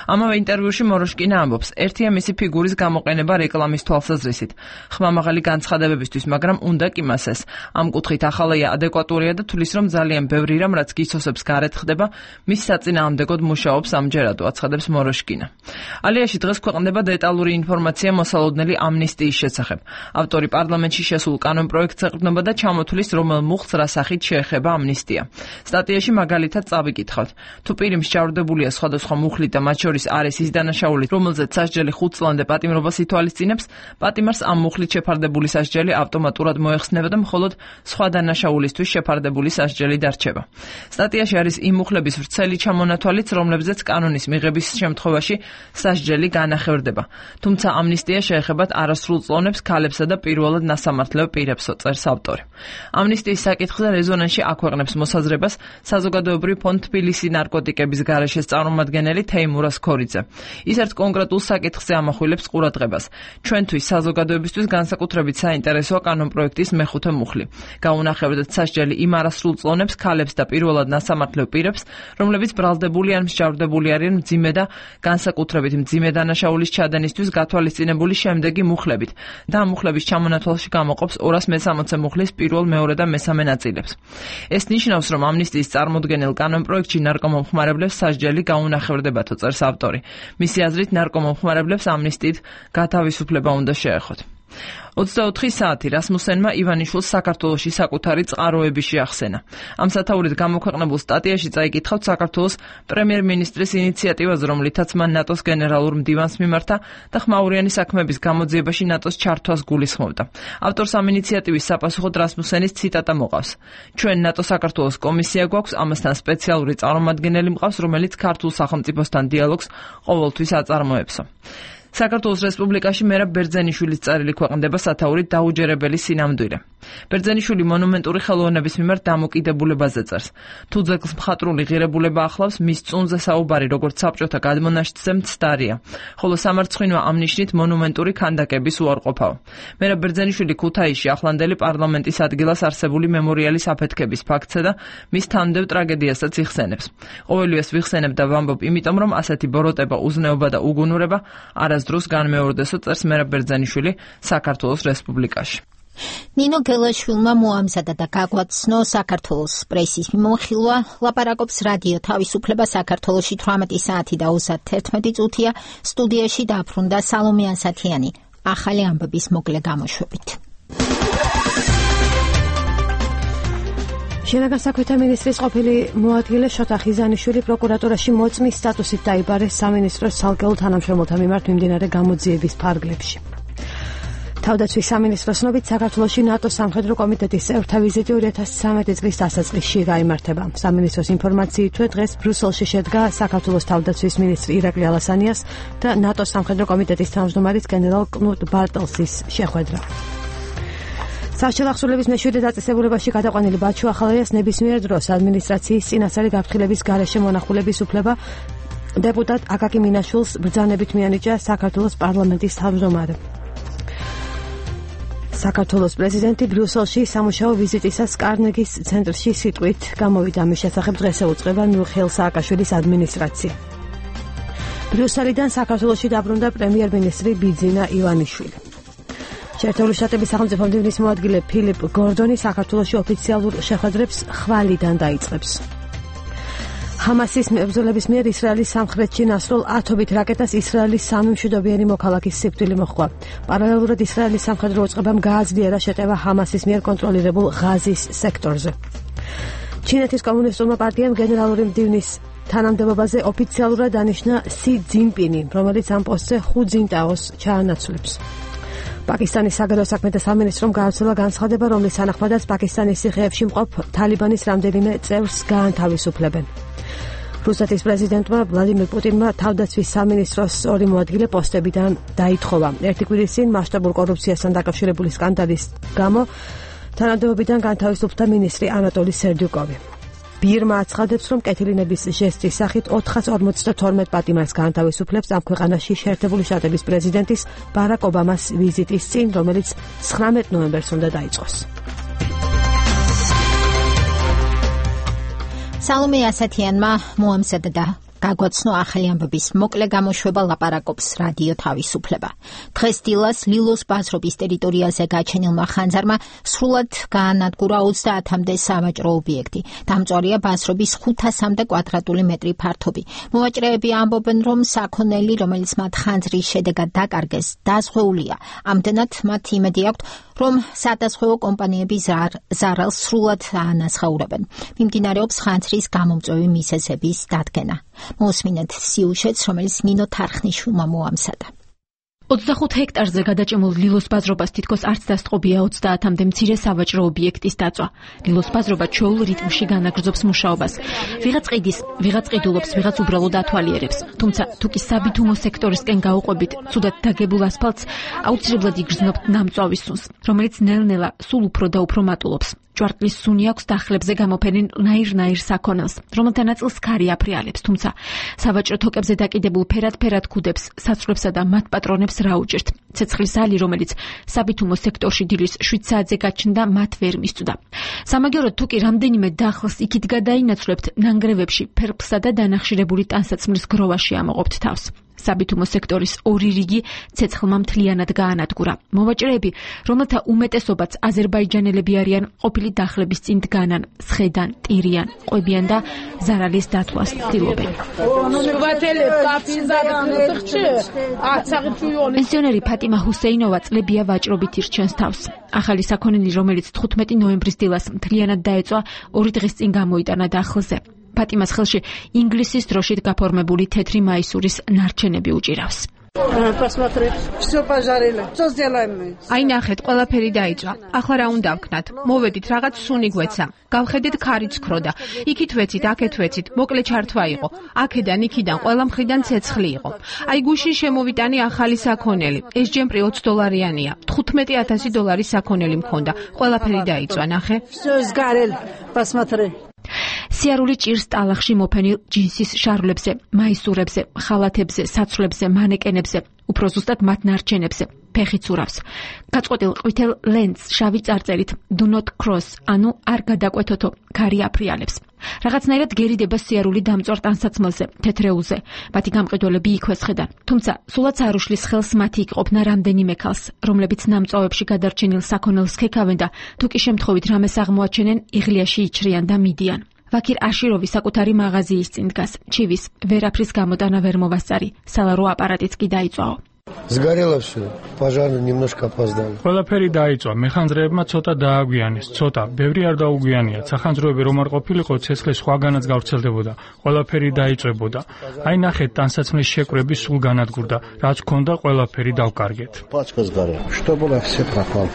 ამავე ინტერვიუში მოროშკინა ამბობს, ერთია მისი ფიგურის გამოყენება რეკლამის თვალსაზრისით, ხმამაღალი განცხადებებისთვის, მაგრამ უნდა კი მას ეს. ამ კუთხით ახალაია ადეკვატურია და თulis, რომ ძალიან ბევრი რამ, რაც გიცოსებს გარეთ ხდება, მის საწინააღმდეგოდ მუშაობს ამჯერადო, აცხადებს მოროშკინა. ალიაში დღეს ქვეყნდება დეტალური ინფორმაცია მოსალოდნელი ამნისტიის შესახებ. ავტორი პარლამენტში შესულ კანონპროექტს ეყრდნობა და ჩამოთვლის, რომელ მუხლს რა სახით შეეხება ამნისტია. სტატიაში მაგალითად წავიკითხავთ, თუ პირი მსჯავრდებულია სხვადასხვა მუხლით და მათ შორის არის ის დანაშაული, რომელზეც სასჯელი ხუთ წლამდე პატიმრობას ითვალისწინებს, პატიმარს ამ მუხლით შეფარდებული სასჯელი ავტომატურად მოეხსნება და მხოლოდ სხვა დანაშაულისთვის შეფარდებული სასჯელი დარჩება. სტატიაში არის იმ მუხლების ვრცელი ჩამონათვალიც, რომლებზეც კანონის მიღების შემთხვევაში სასჯელი განახევრდება. თუმცა ამნისტია შეეხებათ არასრულ წლოვნებს, ქალებსა და პირველად ნასამართლელ პირებსო, წერს ავტორი. ამნისტიის საკითხზე რეზონანსში აქვეყნებს მოსაზრებას საზოგადოებრივ ფონდ თბილისი ნარკოტიკების გარეშეს წარმომადგენელი თეიმურას ქორიძე. ის ერთ კონკრეტულ საკითხზე ამახვილებს ყურადღებას. ჩვენთვის საზოგადოებისთვის განსაკუთრებით საინტერესოა კანონპროექტის მეხუთე მუხლი. გაუნახებდეთ სასჯელი იმ არასრულ წლოვნებს, ქალებს და პირველად ნასამართლელ პირებს, რომლებიც ბრალდებული ან მსჯავრდებული არიან მძიმე და განსაკუთრებით მძიმე დანაშაულის ჩადენისთვის გათვალისწინებული შემდეგი მუხლებით და ამ მუხლების ჩამონათვალში გამოყოფს ორას მესამოცე მუხლის პირველ, მეორე და მესამე ნაწილებს. ეს ნიშნავს, რომ ამნისტიის წარმოდგენილ კანონპროექტში ნარკომომხმარებლებს სასჯელი გაუნახევრდებათო, წერს ავტორი. მისი აზრით, ნარკომომხმარებლებს ამნისტიით გათავისუფლება უნდა შეეხოთ. ოცდაოთხი საათი რასმუსენმა ივანიშვილს საქართველოში საკუთარი წყაროები შეახსენა. ამ სათაურით გამოქვეყნებულ სტატიაში წაიკითხავთ საქართველოს პრემიერ-მინისტრის ინიციატივაზე, რომლითაც მან ნატოს გენერალურ მდივანს მიმართა და ხმაურიანი საქმეების გამოძიებაში ნატოს ჩართვას გულისხმობდა. ავტორს ამ ინიციატივის საპასუხოდ რასმუსენის ციტატა მოყავს. ჩვენ ნატო საქართველოს კომისია გვაქვს, ამასთან სპეციალური წარმომადგენელი მყავს, რომელიც ქართულ სახელმწიფოსთან დიალოგს ყოველთვის აწარმოებსო. საქართველოს რესპუბლიკაში მერაბ ბერძენიშვილის წერილი ქვეყნდება სათაურით დაუჯერებელი სინამდვილე. ბერძენიშვილი მონუმენტური ხელოვნების მიმართ დამოკიდებულებაზე წერს. თუ ძეგლს მხატვრული ღირებულება ახლავს, მის წუნზე საუბარი როგორც საბჭოთა გადმონაშთზე მცდარია, ხოლო სამარცხვინო ამ ნიშნით მონუმენტური ქანდაკების უარყოფაო. მერაბ ბერძენიშვილი ქუთაისში ახლანდელი პარლამენტის ადგილას არსებული მემორიალის აფეთქების ფაქტსა და მის თანმდევ ტრაგედიასაც იხსენებს. ყოველივეს ვიხსენებ და ვამბობ, იმიტომ რომ ასეთი ბოროტება, უზნეობა და უგუნურება არასდროს განმეორდესო, წერს მერაბ ბერძენიშვილი საქართველოს რესპუბლიკაში. ნინო გელაშვილმა მოამზადა და გაგვაცნო საქართველოს პრესის მიმოხილვა, ლაპარაკობს რადიო თავისუფლება საქართველოში თვრამეტი საათი და ოცდაერთი წუთია, სტუდიაში დაბრუნდა სალომე ასათიანი, ახალი ამბების მოკლე გამოშვებით. შინაგან საქმეთა მინისტრის ყოფილი მოადგილე შოთა ხიზანიშვილი პროკურატურაში მოწმის სტატუსით დაიბარეს სამინისტროს ცალკეულ თანამშრომელთა მიმართ მიმდინარე გამოძიების ფარგლებში. თავდაცვის სამინისტროს ცნობით საქართველოში ნატოს სამხედრო კომიტეტის წევრთა ვიზიტი ორი ათას ცხრამეტი წლის დასაწყისში გაიმართება. სამინისტროს ინფორმაციით, დღეს ბრიუსელში შედგა საქართველოს თავდაცვის მინისტრი ირაკლი ალასანიას და ნატოს სამხედრო კომიტეტის თავმჯდომარის გენერალ კნუტ ბარტელსის შეხვედრა. სასჯელ ახსნილების მეშვიდე დაწესებულებაში გადაყვანილი ბაჩუ ახალაიას ნებისმიერ დროს ადმინისტრაციის წინასწარი გაფრთხილების გარეშე მონახულების უფლება დეპუტატ აკაკი მინაშვილს ბრძანებით მიანიჭა საქართველოს პარლამენტის თავმჯდომარემ. საქართველოს პრეზიდენტი ბრიუსელში სამუშაო ვიზიტისას კარნეგის ცენტრში სიტყვით გამოვიდა. მის შესახებ დღეს ეუწყება მიხეილ სააკაშვილის ადმინისტრაცია. ბრიუსელიდან საქართველოში დაბრუნდა პრემიერ-მინისტრი ბიძინა ივანიშვილი. შეერთებული შტატების სახელმწიფო მდივნის მოადგილე ფილიპ გორდონი საქართველოში ოფიციალურ შეხვედრებს ხვალიდან დაიწყებს. ჰამასის მებრძოლების მიერ ისრაელის სამხრეთში ნასრულ ათობით რაკეტას ისრაელის სამი მშვიდობიანი მოქალაქის სიკვდილი მოჰყვა. პარალელურად ისრაელის სამხედრო უწყებამ გააძლიერა შეტევა ჰამასის მიერ კონტროლირებულ ღაზის სექტორზე. ჩინეთის კომუნისტურმა პარტიამ გენერალური მდივნის თანამდებობაზე ოფიციალურად დანიშნა სი ძინპინი, რომელიც ამ პოსტზე ხუ ძინტაოს ჩაანაცვლებს. პაკისტანის საგარეო საქმეთა სამინისტრომ გააცოლა განცხადება, რომლის თანახმადაც პაკისტანის ციხეებში მყოფ თალიბანის რამდენიმე წევრს გაანთავისუფლებენ. რუსეთის პრეზიდენტმა ვლადიმირ პუტინმა თავდაცვის სამინისტროს ორი მოადგილე პოსტებიდან დაითხოვა. ერთი კვირის წინ მასშტაბურ კორუფციასთან დაკავშირებული სკანდალის გამო თანამდებობიდან განთავისუფლდა მინისტრი ანატოლი სერდიუკოვი. ბირმა აცხადებს, რომ კეთილინების ჟესტის სახით ოთხას ორმოცდათორმეტ პატიმარს გაანთავისუფლებს ამ ქვეყანაში შეერთებული შტატების პრეზიდენტის ბარაკ ობამას ვიზიტის წინ, რომელიც ცხრამეტ ნოემბერს უნდა დაიწყოს. სალომე ასათიანმა მოამზადა და გაგვაცნო ახალი ამბების მოკლე გამოშვება, ლაპარაკობს რადიო თავისუფლება. დღეს დილას ლილოს ბაზრობის ტერიტორიაზე გაჩენილმა ხანძარმა სრულად გაანადგურა ოცდაათამდე სავაჭრო ობიექტი. დამწვარია ბაზრობის ხუთასამდე კვადრატული მეტრი ფართობი. მოვაჭრეები ამბობენ, რომ საქონელი, რომელიც მათ ხანძრის შედეგად დაკარგეს, დაზღვეულია. ამდენად მათ იმედი აქვთ, რომ სადაზღვევო კომპანიები ზარალს სრულად აანაცხოვრებენ. მიმდინარეობს ხანძრის გამომწვევი მიზეზების დადგენა. მოსმინეთ სიუჟეტს, რომელიც ნინო თარხნიშვილმა მოამზადა. ოცდახუთ ჰექტარზე გადაჭემულ ლილოს ბაზრობას თითქოს არც დასწყობია ოცდაათამდე მცირე სავაჭრო ობიექტის დაწვა. ლილოს ბაზრობა ჩვეულ რიტმში განაგრძობს მუშაობას. ვიღაც ყიდის, ვიღაც ყიდულობს, ვიღაც უბრალოდ ათვალიერებს. თუმცა თუ კი საბითუმო სექტორისკენ გაუყვებით, ცუდად დაგებულ ასფალტს აუცილებლად იგრძნობთ ნამწვავის სუნს, რომელიც ნელ-ნელა სულ უფრო და უფრო მატულობს. ჭვარტლის სუნი აქვს დახლებზე გამოფენილ ნაირ-ნაირ საქონელს, რომელთა ნაწილს ქარი აფრიალებს, თუმცა სავაჭრო თოკებზე დაკიდებულ ფერად-ფერად ქუდებს, საცვლებსა და მათ პატრონებს რა უჭირთ. ცეცხლის ალი, რომელიც საბითუმო სექტორში დილის შვიდ საათზე გაჩნდა, მათ ვერ მისწვდა. სამაგიეროდ თუ კი რამდენიმე დახლს იქით გადაინაცვლებთ, ნანგრევებში ფერფლსა და დანახშირებული ტანსაცმლის გროვაში ამოყოფთ თავს. საბითუმო სექტორის ორი რიგი ცეცხლმა მთლიანად გაანადგურა. მოვაჭრეები, რომელთა უმეტესობაც აზერბაიჯანელები არიან, ყოფილი დახლების წინ დგანან, სხედან, ტირიან, ყვებიან და ზარალის დათვლას ცდილობენ. პენსიონერი ფატიმა ჰუსეინოვა წლებია ვაჭრობით ირჩენს თავს. ახალი საქონელი, რომელიც თხუთმეტი ნოემბრის დილას მთლიანად დაეწვა, ორი დღის წინ გამოიტანა დახლზე. ფატიმას ხელში ინგლისის დროშით გაფორმებული თეთრი მაისურის ნარჩენები უჭირავს. აი ნახეთ, ყველაფერი დაიწვა. ახლა რა უნდა ვქნათ? მოვედით, რაღაც სუნი გვეცა. გავხედეთ ქარიც ქროდა. იქით ვეცით, აქეთ ვეცით, მოკლე ჩართვა იყო. აქედან, იქიდან, ყველა მხრიდან ცეცხლი იყო. აი გუშინ შემოვიტანი ახალი საქონელი. ეს ჯემპრი ოც დოლარიანია. თხუთმეტი ათასი დოლარის საქონელი მქონდა. ყველაფერი დაიწვა, ნახე. სიარული ჭირს ტალახში მოფენილ ჯინსის შარვლებზე, მაისურებზე, ხალათებზე, საცვლებზე, მანეკენებზე, უფრო ზუსტად მათ ნარჩენებზე, ფეხით ურავს. გაწყვეტილ ყვითელ ლენტს შავი წარწერით do not cross, ანუ არ გადაკვეთოთო, ქარი აფრიალებს. რაღაცნაირად გერიდება სიარული დამწვარ ტანსაცმელზე, თეთრეულზე. მათი გამყიდველები იქვე სხედან. თუმცა სულაც არ უშლის ხელს მათი იყოფნა რამდენიმე ქალს, რომლებიც ნამწვავებში გადარჩენილ საქონელს ქექავენ და თუ კი შემთხვევით რამეს აღმოაჩენენ, იღლიაში იჩრიან და მიდიან. ვაქირ აშიროვი საკუთარი მაღაზიის წინ დგას. ჩივის, ვერაფრის გამოტანა ვერ მოვასწარი. სალარო აპარატიც კი დაიწვაო. Сгорело все. Пожар немножко опоздали. ყველაფერი დაიწვა. მეხანძრეებმა ცოტა დააგვიანეს. ცოტა, ბევრი არ დაუგვიანია. სახანძროები რომ არ ყოფილიყო, ცეცხლი სხვაგანაც გავრცელდებოდა. ყველაფერი დაიწვებოდა. აი ნახეთ, ტანსაცმლის შეკვრები სულ განადგურდა. რაც ქონდა, ყველაფერი დავკარგეთ. Пачка сгорела. Что было, все пропало.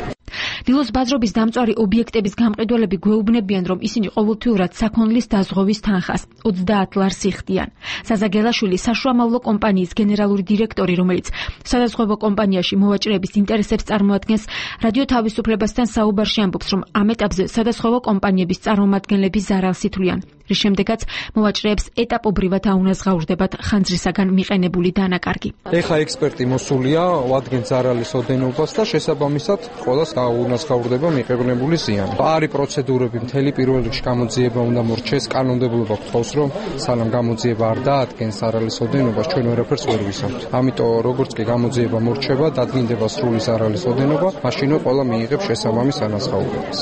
დილოს ბაზრობის დამწვარი ობიექტების გამყიდველები გვეუბნებიან, რომ ისინი ყოველთვიურად საქონლის დაზღვევის თანხას ოცდაათ ლარს იხდიან. საზაგელაშვილი საშუამავლო კომპანიის გენერალური დირექტორი, რომელიც სადაზღვევო კომპანიაში მოვაჭრეების ინტერესებს წარმოადგენს, რადიო თავისუფლებასთან საუბარში ამბობს, რომ ამ ეტაპზე სადაზღვევო კომპანიების წარმომადგენლები ზარალს ითვლიან. რის შემდეგაც მოვაჭრეებს ეტაპობრივად აუნაზღაურდებათ ხანძრისაგან მიყენებული დანაკარგი. ეხა ექსპერტი მოსულია, ვადგენთ ზარალის ოდენობას და შესაბამისად ყველას აუნაზღაურდება მიყენებული ზიანი. არის პროცედურები, მთელი პირველ რიგში გამოძიება უნდა მორჩეს, კანონმდებლობა გთხოვს, რომ სანამ გამოძიება არ დაადგენს ზარალის ოდენობას, ჩვენ ვერაფერს ვერ ვისაუბრთ. ამიტომ როგორც კი გამოძიება მორჩება, დადგინდება სრული ზარალის ოდენობა, მაშინვე ყველა მიიღებს შესაბამის ანაზღაურებას.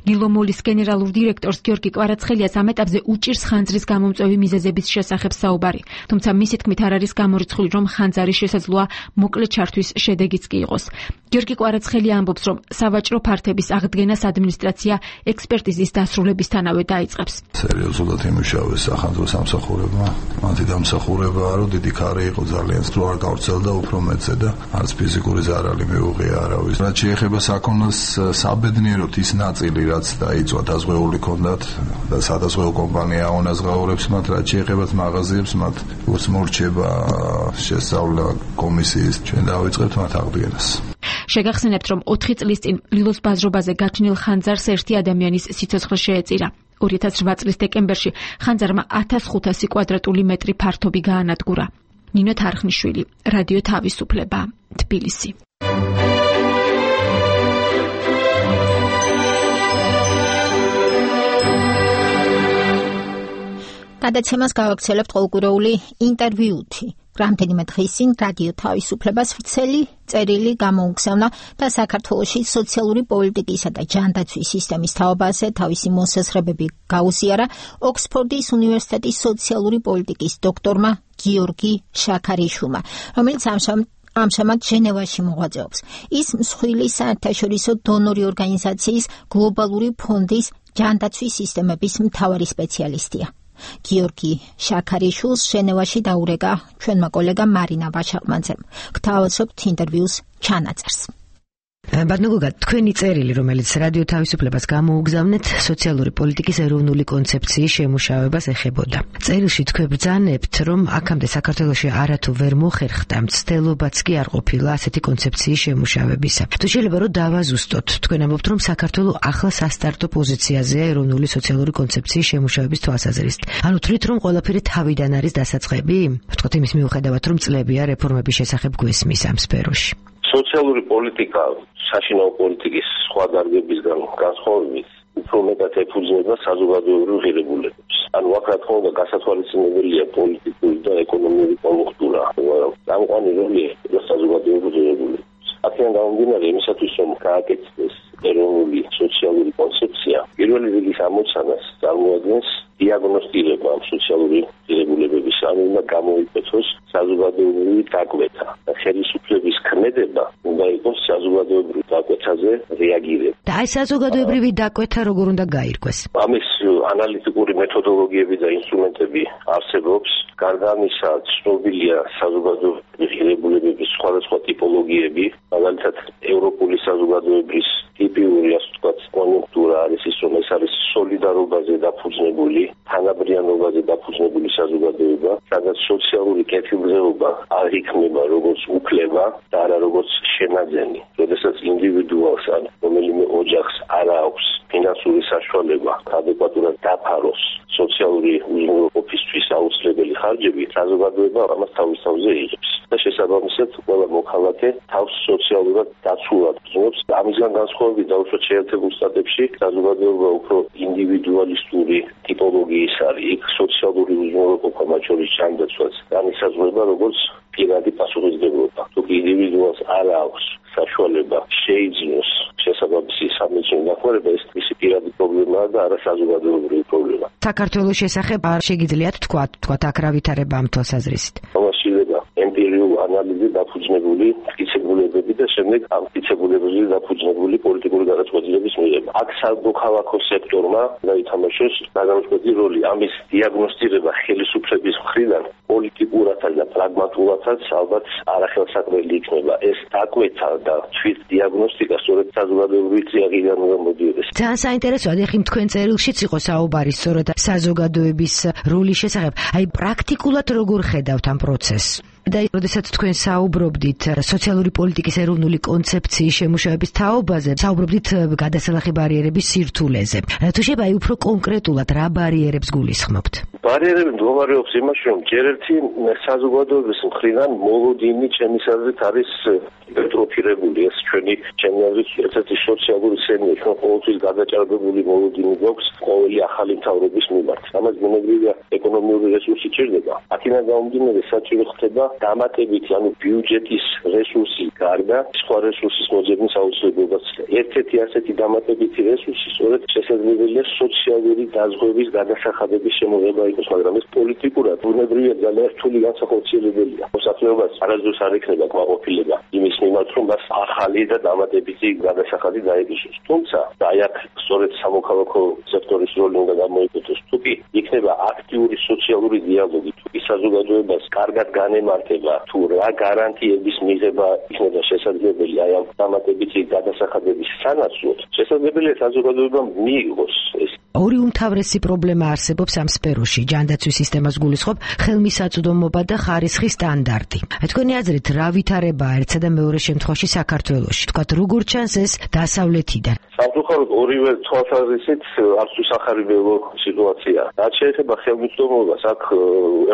გილომოლის გენერალურ დირექტორს გიორგი კვარაცხელიას ამ ეტაპზე უჭირს ხანძრის გამომწვევი მიზეზების შესახებ საუბარი. თუმცა მისი თქმით არ არის გამორიცხული, რომ ხანძარი შესაძლოა მოკლე ჩართვის შედეგიც კი იყოს. გიორგი კვარაცხელია ამბობს, რომ სავაჭრო ფართების აღდგენას ადმინისტრაცია ექსპერტიზის დასრულებისთანავე დაიწყებს. სერიოზულად იმუშავეს სახანძრო სამსახურებმა. მათი დამსახურებაა, რომ დიდი ქარი იყო ძალიან სულ არ გავრცელდა უფრო მეტზე და არც ფიზიკური ზარალი მიუღია არავის. რაც შეეხება საქონელს, საბედნიეროდ ის ნაწილი, რაც დაიწვა დაზღვეული ქონდათ და სადაზღვევო კომპანია აუნაზღაურებს მათ, რაც შეეხება მაღაზიებს, მათ ურს მორჩება შესწავლა კომისიის, ჩვენ დავიწყებთ მათ აღდგენას. შეგახსენებთ, რომ ოთხი წლის წინ ლილოს ბაზრობაზე გაჩნილ ხანძარს ერთი ადამიანის სიცოცხლე შეეწირა. ორი ათას რვა წლის დეკემბერში ხანძარმა ათას ხუთასი კვადრატული მეტრი ფართობი გაანადგურა. ნინო თარხნიშვილი, რადიო თავისუფლება, თბილისი. გადაცემას გავაქცელებთ ყოველკვირეული ინტერვიუთი. რამდენიმე დღის წინ რადიო თავისუფლებას ვრცელი წერილი გამოუგზავნა და საქართველოში სოციალური პოლიტიკისა და ჯანდაცვის სისტემის თაობაზე თავისი მოსაზრებები გაუზიარა ოქსფორდის უნივერსიტეტის სოციალური პოლიტიკის დოქტორმა გიორგი შაქარიშვილმა, რომელიც ამჟამად ჟენევაში მოღვაწეობს. ის მსხვილი საერთაშორისო დონორი ორგანიზაციის გლობალური ფონდის ჯანდაცვის სისტემების მთავარი სპეციალისტია. გიორგი შაქარიშვილს ჟენევაში დაურეკა ჩვენმა კოლეგამ მარინა ვაშაყმანძემ. გთავაზობთ ინტერვიუს ჩანაწერს. ბატონო გოგა, თქვენი წერილი, რომელიც რადიო თავისუფლებას გამოუგზავნეთ, სოციალური პოლიტიკის ეროვნული კონცეფციის შემუშავებას ეხებოდა. წერილში თქვენ ბრძანებთ, რომ აქამდე საქართველოში არათუ ვერ მოხერხდა, მცდელობაც კი არ ყოფილა ასეთი კონცეფციის შემუშავებისა. თუ შეიძლება რომ დავაზუსტოთ, თქვენ ამბობთ, რომ საქართველო ახლა სასტარტო პოზიციაზეა ეროვნული სოციალური კონცეფციის შემუშავების თვალსაზრისით. ანუ თვლით, რომ ყველაფერი თავიდან არის დასაწყები? ვთქვათ იმის მიუხედავად, რომ წლებია რეფორმების შესახებ გვესმის ამ სფეროში. სოციალური პოლიტიკა საშინაო პოლიტიკის სხვა დარგებისგან განსხვავებით უფრო მეტად ეფუძნება საზოგადოებრივ ღირებულებებს. ანუ აქ რა თქმა უნდა გასათვალისწინებელია პოლიტიკური და ეკონომიკური კონjunktურა, მაგრამ გამყვანი როლი ეწევა საზოგადოებრივ ღირებულებებს. აქედან გამომდინარე იმისათვის რომ გააკეთდეს ეროვნული სოციალური კონცეფცია, პირველი რიგის ამოცანას წარმოადგენს დიაგნოსტირება ამ სოციალური ღირებულებების, ანუ უნდა გამოიყენოს საზოგადოებრივი დაკვეთა. ხელისუფლების ქმედება უნდა იყოს საზოგადოებრივ დაკვეთაზე რეაგირება. და აი საზოგადოებრივი დაკვეთა როგორ უნდა გაირკვეს? ამის ანალიტიკური მეთოდოლოგიები და ინსტრუმენტები არსებობს. გარდა ამისა, ცნობილია საზოგადოებრივი ღირებულებების სხვადასხვა ტიპოლოგიები, მაგალითად ევროპული საზოგადოების ტიპიური, ასე ვთქვათ, კონjunktურა არის ის, რომ ეს არის სოლიდარობაზე დაფუძნებული, თანაბრიანობაზე დაფუძნებული საზოგადოება, სადაც სოციალური კეთილდღეობა არ იქნება როგორც უფლება და არა როგორც შენაძენი. როდესაც ინდივიდუალს ან რომელიმე ოჯახს არ აქვს ფინანსური საშუალება ადეკვატურად დაფაროს სოციალური უზრუნველყოფისთვის აუცილებელი ხარჯები, საზოგადოება ამას თავის თავზე იღებს. და შესაბამისად, ყველა მოქალაქე თავს სოციალურად დაცულად გრძნობს. ამისგან განსხვავებით დაუშვათ შეერთებულ შტატებში საზოგადოება უფრო ინდივიდუალისტური ტიპოლოგიის არის. იქ სოციალური უზრუნველყოფა, მათ შორის ჯანდაცვაც, განისაზღვრება როგორც პირადი პასუხისმგებლობა. თუ ინდივიდუალს არ აქვს საშუალება შეიძინოს შესაბამისი სამედიცინო დახმარება, ეს მისი პირადი პრობლემაა და არა საზოგადოებრივი პრობლემა. საქართველოს შესახებ არ შეგიძლიათ თქვა, თქვა აქ რა ვითარება ამ თვალსაზრისით? ამაშილება ემპირიული ანალიზი დაფუძნებული მტკიცებულებები და შემდეგ ამ მტკიცებულებებზე დაფუძნებული პოლიტიკური გადაწყვეტილების მიღება. აქ სამოქალაქო სექტორმა დაითამაშოს გადამწყვეტი როლი. ამის დიაგნოსტირება ხელისუფლების მხრიდან პოლიტიკურათა და პრაგმატულათაც ალბათ არახელსაყრელი იქნება. ეს დაკვეთა და თვით დიაგნოსტიკა სწორედ საზოგადოებრივი წიაღიდან უნდა მოდიოდეს. ძალიან საინტერესოა, ეხლა თქვენ წერილშიც იყო საუბარი სწორედ საზოგადოების როლის შესახებ. აი პრაქტიკულად როგორ ხედავთ ამ პროცესს? და როდესაც თქვენ საუბრობდით სოციალური პოლიტიკის ეროვნული კონცეფციის შემუშავების თაობაზე, საუბრობდით გადასალახი ბარიერების სირთულეზე. თუ შეიძლება აი უფრო კონკრეტულად რა ბარიერებს გულისხმობთ? ბარიერები მდგომარეობს იმაში, რომ ჯერ ერთი საზოგადოების მხრიდან მოლოდინი ჩემის აზრით არის ჰიპერტროფირებული. ეს ჩვენი ჩემი აზრით ერთ-ერთი სოციალური სენია, ჩვენ ყოველთვის გადაჭარბებული მოლოდინი გვაქვს ყოველი ახალი მთავრობის მიმართ. ამას ბუნებრივია ეკონომიური რესურსი ჭირდება. აქედან გამომდინარე საჭირო ხდება დამატებითი, ანუ ბიუჯეტის რესურსი გარდა სხვა რესურსის მოძებნის აუცილებლობაც. ერთ-ერთი ასეთი დამატებითი რესურსი სწორედ შესაძლებელია სოციალური დაზღვევის გადასახადების შემოღება იყოს, მაგრამ ეს პოლიტიკურად ბუნებრივია ძალიან რთული განსახორციელებელია. მოსახლეობას არასდროს არ ექნება კმაყოფილება იმის მიმართ, რომ მას ახალი და დამატებითი გადასახადი დაეკისროს. თუმცა აი აქ სწორედ სამოქალაქო სექტორის როლი უნდა გამოიყენოს. თუ კი იქნება აქტიური სოციალური დიალოგი, თუ კი საზოგადოებას კარგად განემართება, თუ რა გარანტიების მიღება იქნება შესაძლებელი აი ამ დამატებითი გადასახადების სანაცვლოდ, შესაძლებელია საზოგადოებამ მიიღოს ეს. ორი უმთავრესი პრობლემა არსებობს ამ სფეროში. ჯანდაცვის სისტემას გულისხმობ ხელმისაწვდომობა და ხარისხის სტანდარტი. თქვენი აზრით რა ვითარებაა ერთსა და მეორე შემთხვევაში საქართველოში? თქვათ როგორ ჩანს ეს დასავლეთიდან? სამწუხაროდ ორივე თვალსაზრისით არც უსახარიბელო სიტუაცია. რაც შეეხება ხელმისაწვდომობას, აქ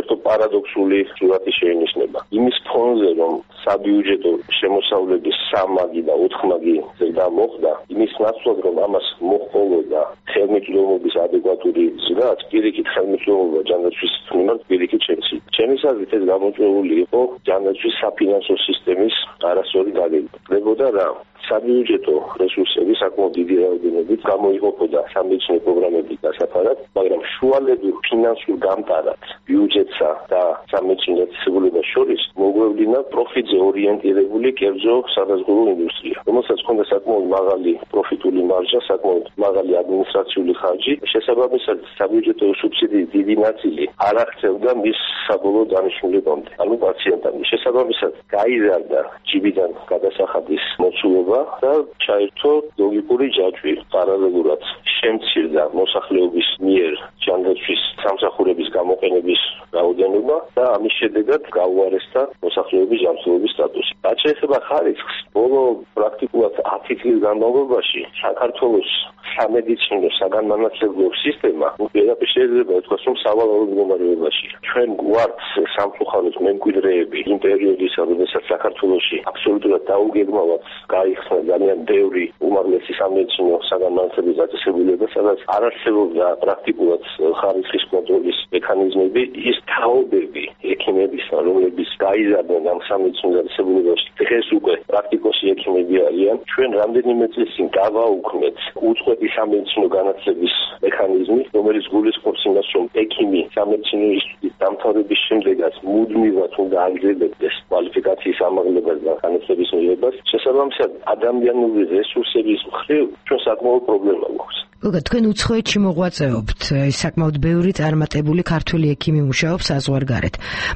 ერთო პარადოქსული სურათი შეინიშნება. იმის ფონზე, რომ საბიუჯეტო შემოსავლების სამმაგი და ოთხმაგი ზრდა მოხდა, იმის ნაცვლად, რომ ამას მოჰყოლოდა ხელმისაწვდომობის ადეკვატური ზრდა, პირიქით ხელმისაწვდომობა ჯანდაცვის მიმართ პირიქით შემცირდა. ჩემი აზრით ეს გამოწვეული იყო ჯანდაცვის საფინანსო სისტემის არასწორი დაგეგმვა. ხდებოდა რა? საბიუჯეტო რესურსები საკმაოდ დიდი რაოდენობით გამოიყოფოდა სამედიცინო პროგრამების დასაფარად, მაგრამ შუალედურ ფინანსურ გამტარად ბიუჯეტსა და სამედიცინო დაწესებულებას შორის მოგვევლი წარმოედგინა პროფიტზე ორიენტირებული კერძო სადაზღვევო ინდუსტრია, რომელსაც ჰქონდა საკმაოდ მაღალი პროფიტული მარჟა, საკმაოდ მაღალი ადმინისტრაციული ხარჯი, შესაბამისად საბიუჯეტო სუბსიდიის დიდი ნაწილი არ აღწევდა მის საბოლოო დანიშნულებამდე, ანუ პაციენტამდე. შესაბამისად გაიზარდა ჯიბიდან გადასახადის მოცულობა და ჩაერთო ლოგიკური ჯაჭვი. პარალელურად შემცირდა მოსახლეობის მიერ ჯანდაცვის სამსახურების გამოყენების რაოდენობა და ამის შედეგად გაუარესდა მოსახლეობის ჯანმრთელობის სტატუსი. რაც შეეხება ხარისხს, ბოლო პრაქტიკულად ათი წლის განმავლობაში საქართველოს სამედიცინო საგანმანათლებლო სისტემა უპირატესად შეიძლება ითქვას, რომ სავალალო მდგომარეობაში. ჩვენ გვართ სამწუხაროდ მემკვიდრეები იმ პერიოდისა, როდესაც საქართველოში აბსოლუტურად დაუგეგმავად გაიხსნა ძალიან ბევრი უმაღლესი სამედიცინო საგანმანათლებლო დაწესებულება, სადაც არ არსებობდა პრაქტიკულად ხარისხის კონტროლის მექანიზმები, ის თაობები ექიმებისა, რომლებიც გაიზარდნენ ამ სამედიცინო დაწესებულებაში, დღეს უკვე პრაქტიკოსი ექიმები არიან. ჩვენ რამდენიმე წლის წინ გავაუქმეთ უწყვეტი სამედიცინო განათლების მექანიზმი, რომელიც გულისხმობს იმას, რომ ექიმი სამედიცინო ინსტიტუტის დამთავრების შემდეგაც მუდმივად უნდა აგრძელებდეს კვალიფიკაციის ამაღლებას და განათლების მიღებას. შესაბამისად, ადამიანური რესურსების მხრივ ჩვენ საკმაოდ პრობლემა გვაქვს. თქვენ უცხოეთში მოღვაწეობთ, საკმაოდ ბევრი წარმატებული ქართველი ექიმი მუშაობს საზღვარგარეთ.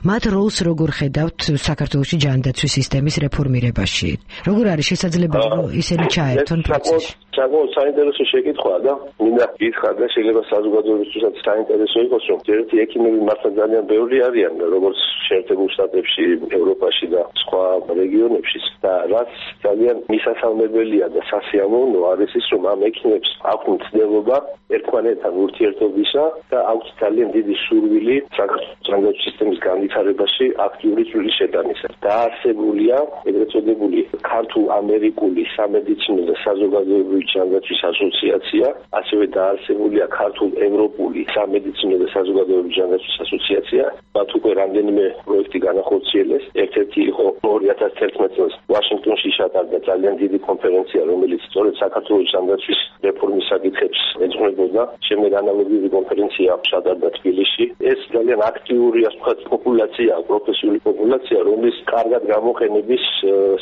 მათ როლს როგორ ხედავთ საქართველოში ჯანდაცვის სისტემის რეფორმირებაში? როგორ არის შესაძლებელი, რომ ისინი ჩაერთონ პროცესში? საკმაოდ საინტერესო შეკითხვაა და მინდა გითხრათ და შეიძლება საზოგადოებისთვისაც საინტერესო იყოს, რომ ერთი ექიმები მართლა ძალიან ბევრი არიან, როგორც შეერთებულ შტატებში, ევროპაში და სხვა რეგიონებში და რაც ძალიან მისასალმებელია და სასიამოვნოა არის ის, რომ ამ ექიმებს აქვთ ცდილობა ერთმანეთთან ურთიერთობისა და აქვთ ძალიან დიდი სურვილი საქართველოს ჯანდაცვის სისტემის განვითარებაში აქტიური წვლილი შეტანისა. დაარსებულია ეგრეთ წოდებული ქართულ-ამერიკული სამედიცინო და საზოგადოებრივი ჯანდაცვის ასოციაცია, ასევე დაარსებულია ქართულ-ევროპული სამედიცინო და საზოგადოებრივი ჯანდაცვის ასოციაცია. მათ უკვე რამდენიმე პროექტი განახორციელეს. ერთ-ერთი იყო ორი ათას თერთმეტ წელს ვაშინგტონში ჩატარდა ძალიან დიდი კონფერენცია, რომელიც სწორედ საქართველოს ჯანდაცვის რეფორმის საკითხებს ეძღვნებოდა. შემდეგ ანალოგიური კონფერენცია ჩატარდა თბილისში. ეს ძალიან აქტიური, ასე ვთქვათ, პოპულაცია, პროფესიული პოპულაცია, რომლის კარგად გამოყენების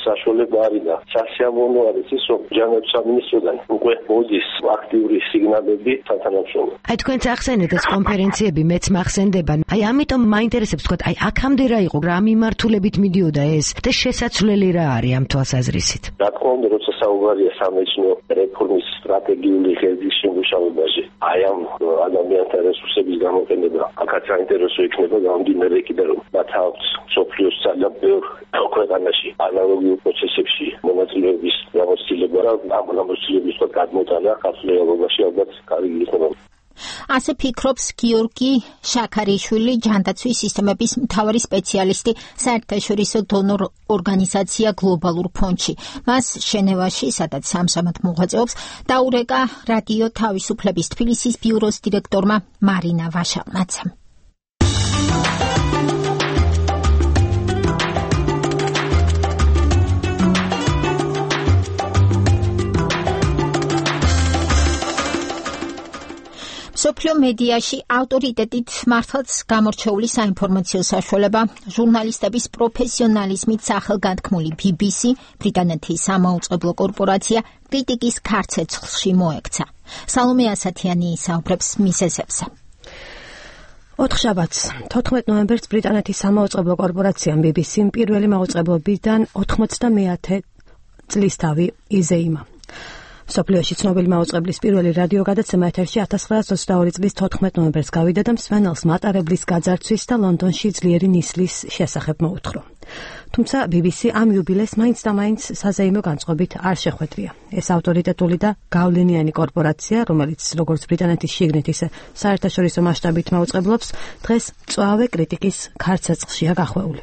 საშუალება არის და სასიამოვნო არის ის, რომ ჯანდაცვის სამინისტროდან უკვე მოდის აქტიური სიგნალები სათანადო. აი თქვენ ახსენეთ ეს კონფერენციები, მეც მახსენდება. აი ამიტომ მაინტერესებს თქვა, აი აქამდე რა იყო, რა მიმართულებით მიდიოდა ეს და შესაძლებელი რა არის ამ თვალსაზრისით? რა თქმა უნდა, როცა საუბარია სამედიცინო რეფორმის სტრატეგიული ღერძის შემუშავებაში, აი ამ ადამიანთა რესურსების გამოყენება აქაც საინტერესო იქნება გამომდინარე იქიდან, რომ მათ აქვს სოფლიოს ძალიან ბევრ ქვეყანაში ანალოგიურ პროცესებში მონაწილეობის გამოცდილება და ამ გამოცდილების გადმოტანა ქართულობაში ალბათ კარგი იქნება. ასე ფიქრობს გიორგი შაქარიშვილი, ჯანდაცვის სისტემების მთავარი სპეციალისტი საერთაშორისო დონორ ორგანიზაცია გლობალურ ფონდში. მას ჟენევაში, სადაც სამსამად მოღვაწეობს, დაურეკა რადიო თავისუფლების თბილისის ბიუროს დირექტორმა მარინა ვაშალმაცამ. სოფლიო მედიაში ავტორიტეტით მართლაც გამორჩეული საინფორმაციო საშუალება, ჟურნალისტების პროფესიონალიზმით სახელგანთქმული ბი ბი სი, ბრიტანეთის სამაუწყებლო კორპორაცია კრიტიკის ქარცეცხლში მოექცა. სალომე ასათიანი ისაუბრებს მიზეზებზე. ოთხშაბათს, თოთხმეტ ნოემბერს ბრიტანეთის სამაუწყებლო კორპორაციამ ბი ბი სიმ პირველი მაუწყებლობიდან ოთხმოცდამეათე წლისთავი იზეიმა. სოფლიოში ცნობილი მაუწყებლის პირველი რადიო გადაცემა ეთერში ათას ცხრაასი ოცდაორი წლის თოთხმეტ ნოემბერს გავიდა და მსმენელს მატარებლის გაძარცვის და ლონდონში ძლიერი ნისლის შესახებ მოუთხრა. თუმცა ბი ბი სი ამ იუბილეს მაინც და მაინც საზეიმო განწყობით არ შეხვედრია. ეს ავტორიტეტული და გავლენიანი კორპორაცია, რომელიც როგორც ბრიტანეთის შიგნით, ისე საერთაშორისო მასშტაბით მაუწყებლობს, დღეს მწვავე კრიტიკის ქარცეცხლშია გახვეული.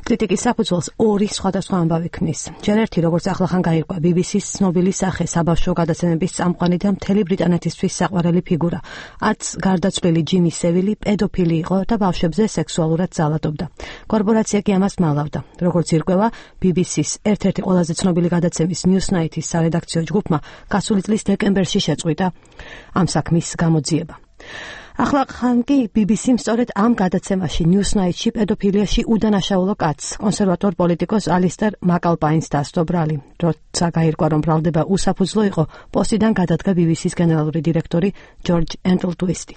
კრიტიკის საფუძველს ორი სხვადასხვა ამბავი ქმნის. ჯერ ერთი, როგორც ახლახან გაირკვა, ბი ბი სის ცნობილი სახე, საბავშვო გადაცემების წამყვანი და მთელი ბრიტანეთისთვის საყვარელი ფიგურა. არც გარდაცვლილი ჯიმი სევილი პედოფილი იყო და ბავშვებზე სექსუალურად ძალადობდა. კორპორაცია კი ამას მალავდა. როგორც ირკვევა, ბი ბი სის ერთ-ერთი ყველაზე ცნობილი გადაცემის Newsnight-ის სარედაქციო ჯგუფმა გასული წლის დეკემბერში შეწყვიტა ამ საქმის გამოძიება. ახლა ხან კი ბი ბი სიმ სწორედ ამ გადაცემაში Newsnight-ში პედოფილიაში უდანაშაულო კაცს, კონსერვატორ პოლიტიკოს ალისტერ მაკალპაინს დასდო ბრალი. როცა გაირკვა, რომ ბრალდება უსაფუძვლო იყო, პოსტიდან გადადგა ბი ბი სის გენერალური დირექტორი ჯორჯ ენტლტვისტი.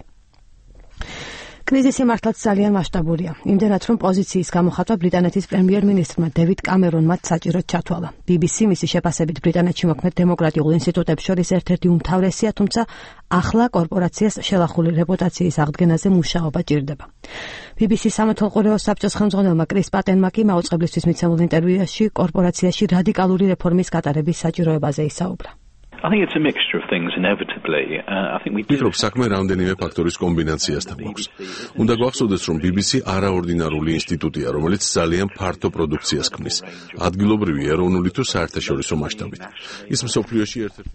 კრიზისი მართლაც ძალიან მასშტაბურია. იმდენად, რომ პოზიციის გამოხატვა ბრიტანეთის პრემიერ-მინისტრმა დევიდ კამერონმა საჭიროდ ჩათვალა. ბი ბი სი მისი შეფასებით ბრიტანეთში მოქმედ დემოკრატიულ ინსტიტუტებს შორის ერთ-ერთი უმთავრესია, თუმცა ახლა კორპორაციას შელახული რეპუტაციის აღდგენაზე მუშაობა ჭირდება. ბი ბი სის სამართალყურეო საბჭოს ხელმძღვანელმა კრის პატენმა კი მაუწყებლისთვის მიცემულ ინტერვიუში კორპორაციაში რადიკალური რეფორმის გატარების საჭიროებაზე ისაუბრა. I think it's a mixture of things inevitably. Uh, I think we ვფიქრობ, საქმე რამდენიმე ფაქტორის კომბინაციასთან გვაქვს. უნდა გვახსოვდეს, რომ ბი ბი სი არაორდინარული ინსტიტუტია, რომელიც ძალიან ფართო პროდუქციას ქმნის, ადგილობრივი, ეროვნული თუ საერთაშორისო მასშტაბით. ის მსოფლიოში ერთ-ერთი.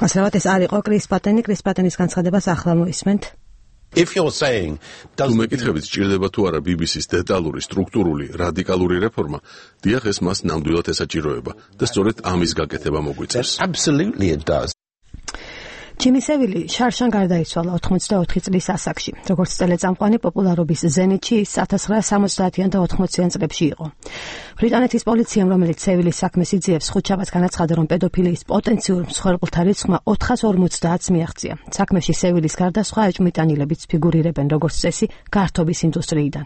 მასალა ეს არ იყო კრის პატენი, კრის პატენის განცხადებას ახლა მოისმენთ. If you're saying does მეკითხებით სჭირდება თუ არა ბი ბი სის დეტალური, სტრუქტურული, რადიკალური რეფორმა, დიახ, ეს მას ნამდვილად ესაჭიროება და სწორედ ამის გაკეთება მოგვიწევს. Absolutely it does. ჯიმი სევილი შარშან გარდაიცვალა ოთხმოცდაოთხი წლის ასაკში. როგორც ტელეწამყვანი პოპულარობის ზენიტში ის ათას ცხრაასა სამოცდაათიან და ოთხმოციან წლებში იყო. ბრიტანეთის პოლიციამ, რომელიც სევილის საქმეს იძიებს, ხუთშაბათს განაცხადა, რომ პედოფილიის პოტენციურ მსხვერპლთა რიცხვმა ოთხას ორმოცდაათს მიაღწია. საქმეში სევილის გარდა სხვა ეჭვმიტანილებიც ფიგურირებენ, როგორც წესი, გართობის ინდუსტრიიდან.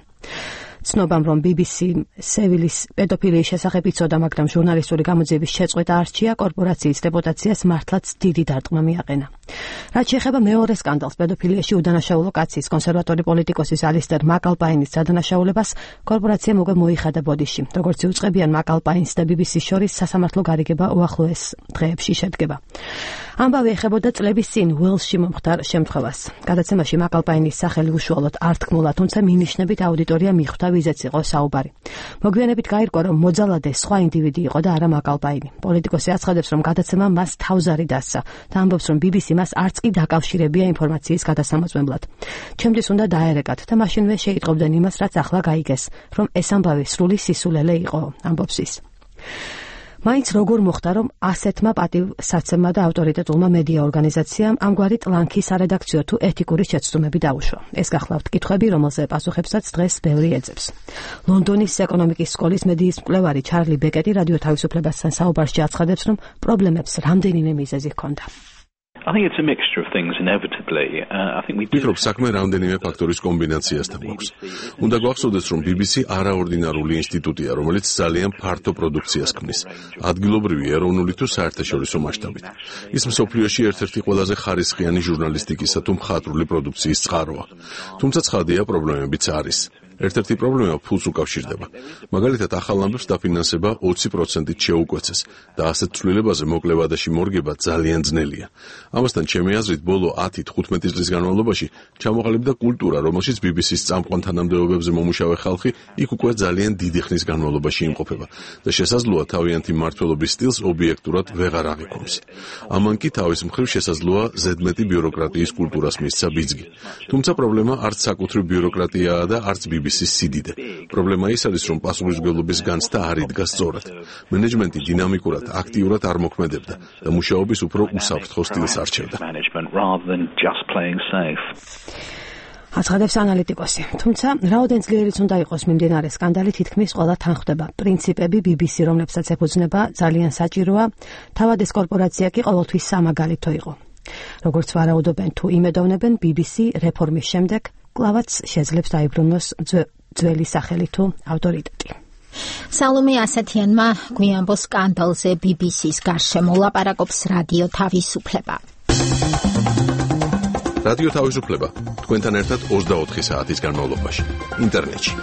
ცნობამ, რომ ბი ბი სი სევილის პედოფილიის შესახებ იცოდა, მაგრამ ჟურნალისტური გამოძიების შეწყვეტა არჩია, კორპორაციის რეპუტაციას მართლაც დიდი დარტყმა მიაყენა. რაც შეეხება მეორე სკანდალს, პედოფილიაში უდანაშაულო კაცის, კონსერვატორი პოლიტიკოსის ალისტერ მაკალპაინის დადანაშაულებას, კორპორაციამ უკვე მოიხადა ბოდიში. როგორც იუწყებიან, მაკალპაინს და ბი ბი სის შორის სასამართლო გარიგება უახლოეს დღეებში შედგება. ამბავი ეხებოდა წლების წინ უელსში მომხდარ შემთხვევას. გადაცემაში მაკალპაინის სახელი უშუალოდ არ თქმულა, თუმცა მინიშნებით აუდიტორია მიხვდა, ვიზეც იყო საუბარი. მოგვიანებით გაირკვა, რომ მოძალადე სხვა ინდივიდი იყო და არა მაკალპაინი. პოლიტიკოსი აცხადებს, რომ გადაცემა მას თავზარი დასცა და ამბობს, რომ ბი ბი სი მას არც კი დაკავშირებია ინფორმაციის გადასამოწმებლად. ჩემთვის უნდა დაერეკათ და მაშინვე შეიტყობდნენ იმას, რაც ახლა გაიგეს, რომ ეს ამბავი სრული სისულელე იყო, ამბობს ის. მაინც როგორ მოხდა, რომ ასეთმა პატივსაცემმა და ავტორიტეტულმა მედია ორგანიზაციამ ამგვარი ტლანქი სარედაქციო თუ ეთიკური შეცდომები დაუშვა. ეს გახლავთ კითხვები, რომელზე პასუხებსაც დღეს ბევრი ეძებს. ლონდონის ეკონომიკის სკოლის მედიის მკვლევარი ჩარლი ბეკეტი რადიო თავისუფლებასთან საუბარში აცხადებს, რომ პრობლემებს რამდენიმე მიზეზი ჰქონდა. I think it's a mixture of things inevitably. Uh, I think we ვფიქრობ, საქმე რამდენიმე ფაქტორის კომბინაციასთან გვაქვს. უნდა გვახსოვდეს, რომ ბი ბი სი არაორდინარული ინსტიტუტია, რომელიც ძალიან ფართო პროდუქციას ქმნის, ადგილობრივი, ეროვნული თუ საერთაშორისო მასშტაბით. ის მსოფლიოში ერთ-ერთი ყველაზე ხარისხიანი ჟურნალისტიკისა თუ მხატვრული პროდუქციის წყაროა. თუმცა ცხადია, პრობლემებიც არის. ერთ-ერთი პრობლემა ფულს უკავშირდება. მაგალითად, ახალ ამბებს დაფინანსება ოცი პროცენტით შეუკვეცეს და ასეთ ცვლილებაზე მოკლება და შემორგება ძალიან ძნელია. ამასთან, ჩემი აზრით, ბოლო ათი თხუთმეტი წლის განმავლობაში ჩამოყალიბდა კულტურა, რომელშიც ბი ბი სის წამყვან თანამდებობებზე მომუშავე ხალხი იქ უკვე ძალიან დიდი ხნის განმავლობაში იმყოფება და შესაძლოა თავიანთი მმართველობის სტილს ობიექტურად ვეღარ აღიქვამს. ამან კი თავის მხრივ შესაძლოა ზედმეტი ბიუროკრატიის კულტურას მისცა ბიძგი. თუმცა პრობლემა არც საკუთრივ ბიუროკრატიაა და არც ბი ბი სის სიდიდე. პრობლემა ის არის, რომ პასუხისმგებლობის განცდა არ იდგა სწორად. მენეჯმენტი დინამიკურად, აქტიურად არ მოქმედებდა და მუშაობის უფრო უსაფრთხო სტილს არჩევდა. აცხადებს ანალიტიკოსი. თუმცა, რაოდენ ძლიერიც უნდა იყოს მიმდინარე სკანდალი, თითქმის ყველა თან ხვდება. პრინციპები ბი ბი სი, რომლებსაც ეფუძნება, ძალიან საჭიროა. თავად ეს კორპორაცია კი ყოველთვის სამაგალითო იყო. როგორც ვარაუდობენ თუ იმედოვნებენ, ბი ბი სი რეფორმის შემდეგ კლავაც შეძლებს დაიბრუნოს ძველი სახელი თუ ავტორიტეტი. სალომე ასათიანმა გვიანბო სკანდალზე ბი ბი სის გარშემო ლაპარაკობს რადიო თავისუფლება. რადიო თავისუფლება თქვენთან ერთად ოცდაოთხი საათის განმავლობაში ინტერნეტში.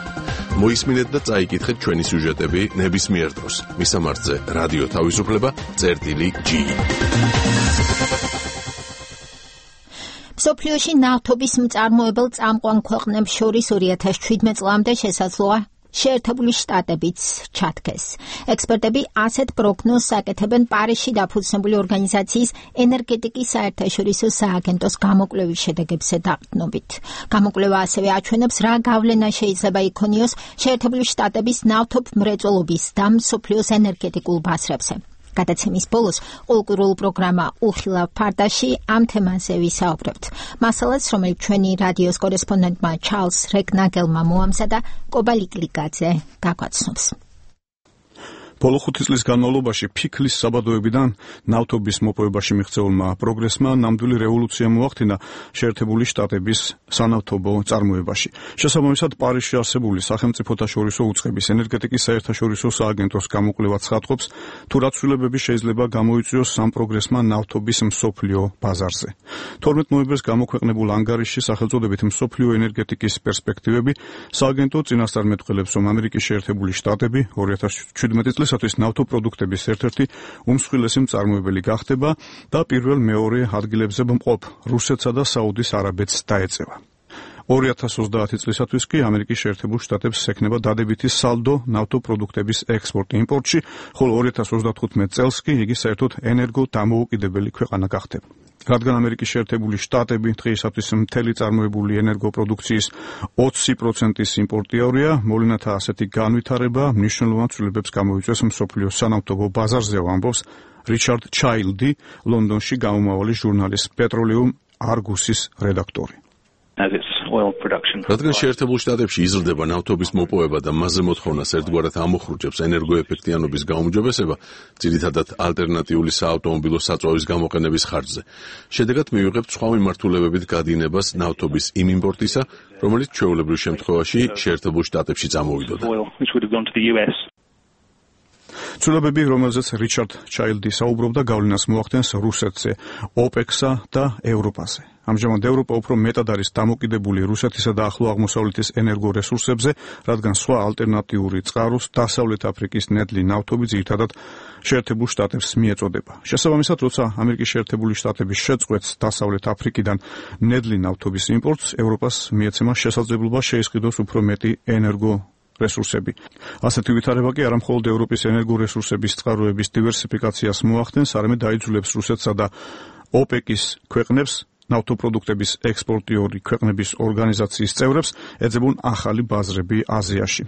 მოისმინეთ და წაიკითხეთ ჩვენი სიუჟეტები ნებისმიერ დროს. მისამართზე რადიო თავისუფლება წერტილი ჯი. მსოფლიოში ნავთობის მწარმოებელ წამყვან ქვეყნებს შორის ორი ათას შვიდმეტ წლამდე შესაძლოა შეერთებული შტატებიც ჩათქეს. ექსპერტები ასეთ პროგნოზს აკეთებენ პარიზში დაფუძნებული ორგანიზაციის ენერგეტიკის საერთაშორისო სააგენტოს გამოკვლევის შედეგებზე დაყრდნობით. გამოკვლევა ასევე აჩვენებს, რა გავლენა შეიძლება იქონიოს შეერთებული შტატების ნავთობ მრეწველობის და მსოფლიოს ენერგეტიკულ ბაზრებზე. გადაცემის ბოლოს კულტურულ პროგრამა უხილავ ფარდაში ამ თემაზე ვისაუბრებთ. მასალას, რომელიც ჩვენი რადიოს კორესპონდენტმა ჩარლზ რეკნაგელმა მოამზადა, კობალიკლიძე გაგვაცნობს. ბოლო ხუთი წლის განმავლობაში ფიქლის საბადოებიდან ნავთობის მოპოვებაში მიღწეულმა პროგრესმა ნამდვილი რევოლუცია მოახდინა შეერთებული შტატების სანავთობო წარმოებაში. შესაბამისად, პარიზში არსებული სახელმწიფოთა შორისო უწყების ენერგეტიკის საერთაშორისო სააგენტოს გამოკვლევა ცხადყოფს, თუ რა ცვლილებები შეიძლება გამოიწვიოს ამ პროგრესმა ნავთობის მსოფლიო ბაზარზე. თორმეტ ნოემბერს გამოქვეყნებულ ანგარიშში სახელწოდებით მსოფლიო ენერგეტიკის პერსპექტივები სააგენტო წინასწარ მეტყველებს, რომ ამერიკის შეერთებული შტატები ორი ათას შვიდმეტი წლის ნავთობპროდუქტების ერთ-ერთი უმსხვილესი მწარმოებელი გახდება და პირველ-მეორე ადგილებზე მყოფ რუსეთსა და საუდის არაბეთს დაეწევა. ორი ათას ოცდაათი წლისათვის კი ამერიკის შეერთებულ შტატებს ექნება დადებითი სალდო ნავთობპროდუქტების ექსპორტ-იმპორტში, ხოლო ორი ათას ოცდათხუთმეტ წელს კი იგი საერთოდ ენერგო-დამოუკიდებელი ქვეყანა გახდება. რადგან ამერიკის შეერთებული შტატები დღეისათვის მთელი წარმოებული ენერგოპროდუქციის ოცი პროცენტის იმპორტიორია, მოვლენათა ასეთი განვითარება მნიშვნელოვან ცვლილებებს გამოიწვევს მსოფლიოს სანავთობო ბაზარზე, ამბობს რიჩარდ ჩაილდი, ლონდონში გამომავალი ჟურნალის პეტროლიუმ არგუსის რედაქტორი. რადგან შეერთებულ შტატებში იზრდება ნავთობის მოპოვება და მასზე მოთხოვნას ერთგვარად ამოხრუჭებს ენერგოეფექტიანობის გაუმჯობესება, ძირითადად ალტერნატიული საავტომობილო საწვავის გამოყენების ხარჯზე. შედეგად მივიღებთ სხვა მიმართულებებით გადინებას ნავთობის იმ იმპორტისა, რომელიც ჩვეულებრივ შემთხვევაში შეერთებულ შტატებში წამოვიდოდა. ცვლილებები, რომელზეც რიჩარდ ჩაილდი საუბრობდა, გავლენას მოახდენს რუსეთზე, ოპექსა და ევროპაზე. ამჟამად ევროპა უფრო მეტად არის დამოკიდებული რუსეთისა და ახლო აღმოსავლეთის ენერგორესურსებზე, რადგან სხვა ალტერნატიული წყაროს დასავლეთ აფრიკის ნედლი ნავთობი ძირითადად შეერთებულ შტატებს მიეწოდება. შესაბამისად, როცა ამერიკის შეერთებული შტატები შეწყვეტს დასავლეთ აფრიკიდან ნედლი ნავთობის იმპორტს, ევროპას მიეცემა შესაძლებლობა შეისყიდოს უფრო მეტი ენერგო რესურსები. ასეთი ვითარება კი არა მხოლოდ ევროპის ენერგორესურსების წყაროების დივერსიფიკაციას მოახდენს, არამედ დაიძულებს რუსეთსა და ოპეკის ქვეყნებს, ნავთობპროდუქტების ექსპორტიორი ქვეყნების ორგანიზაციის წევრებს ეძებონ ახალი ბაზრები აზიაში.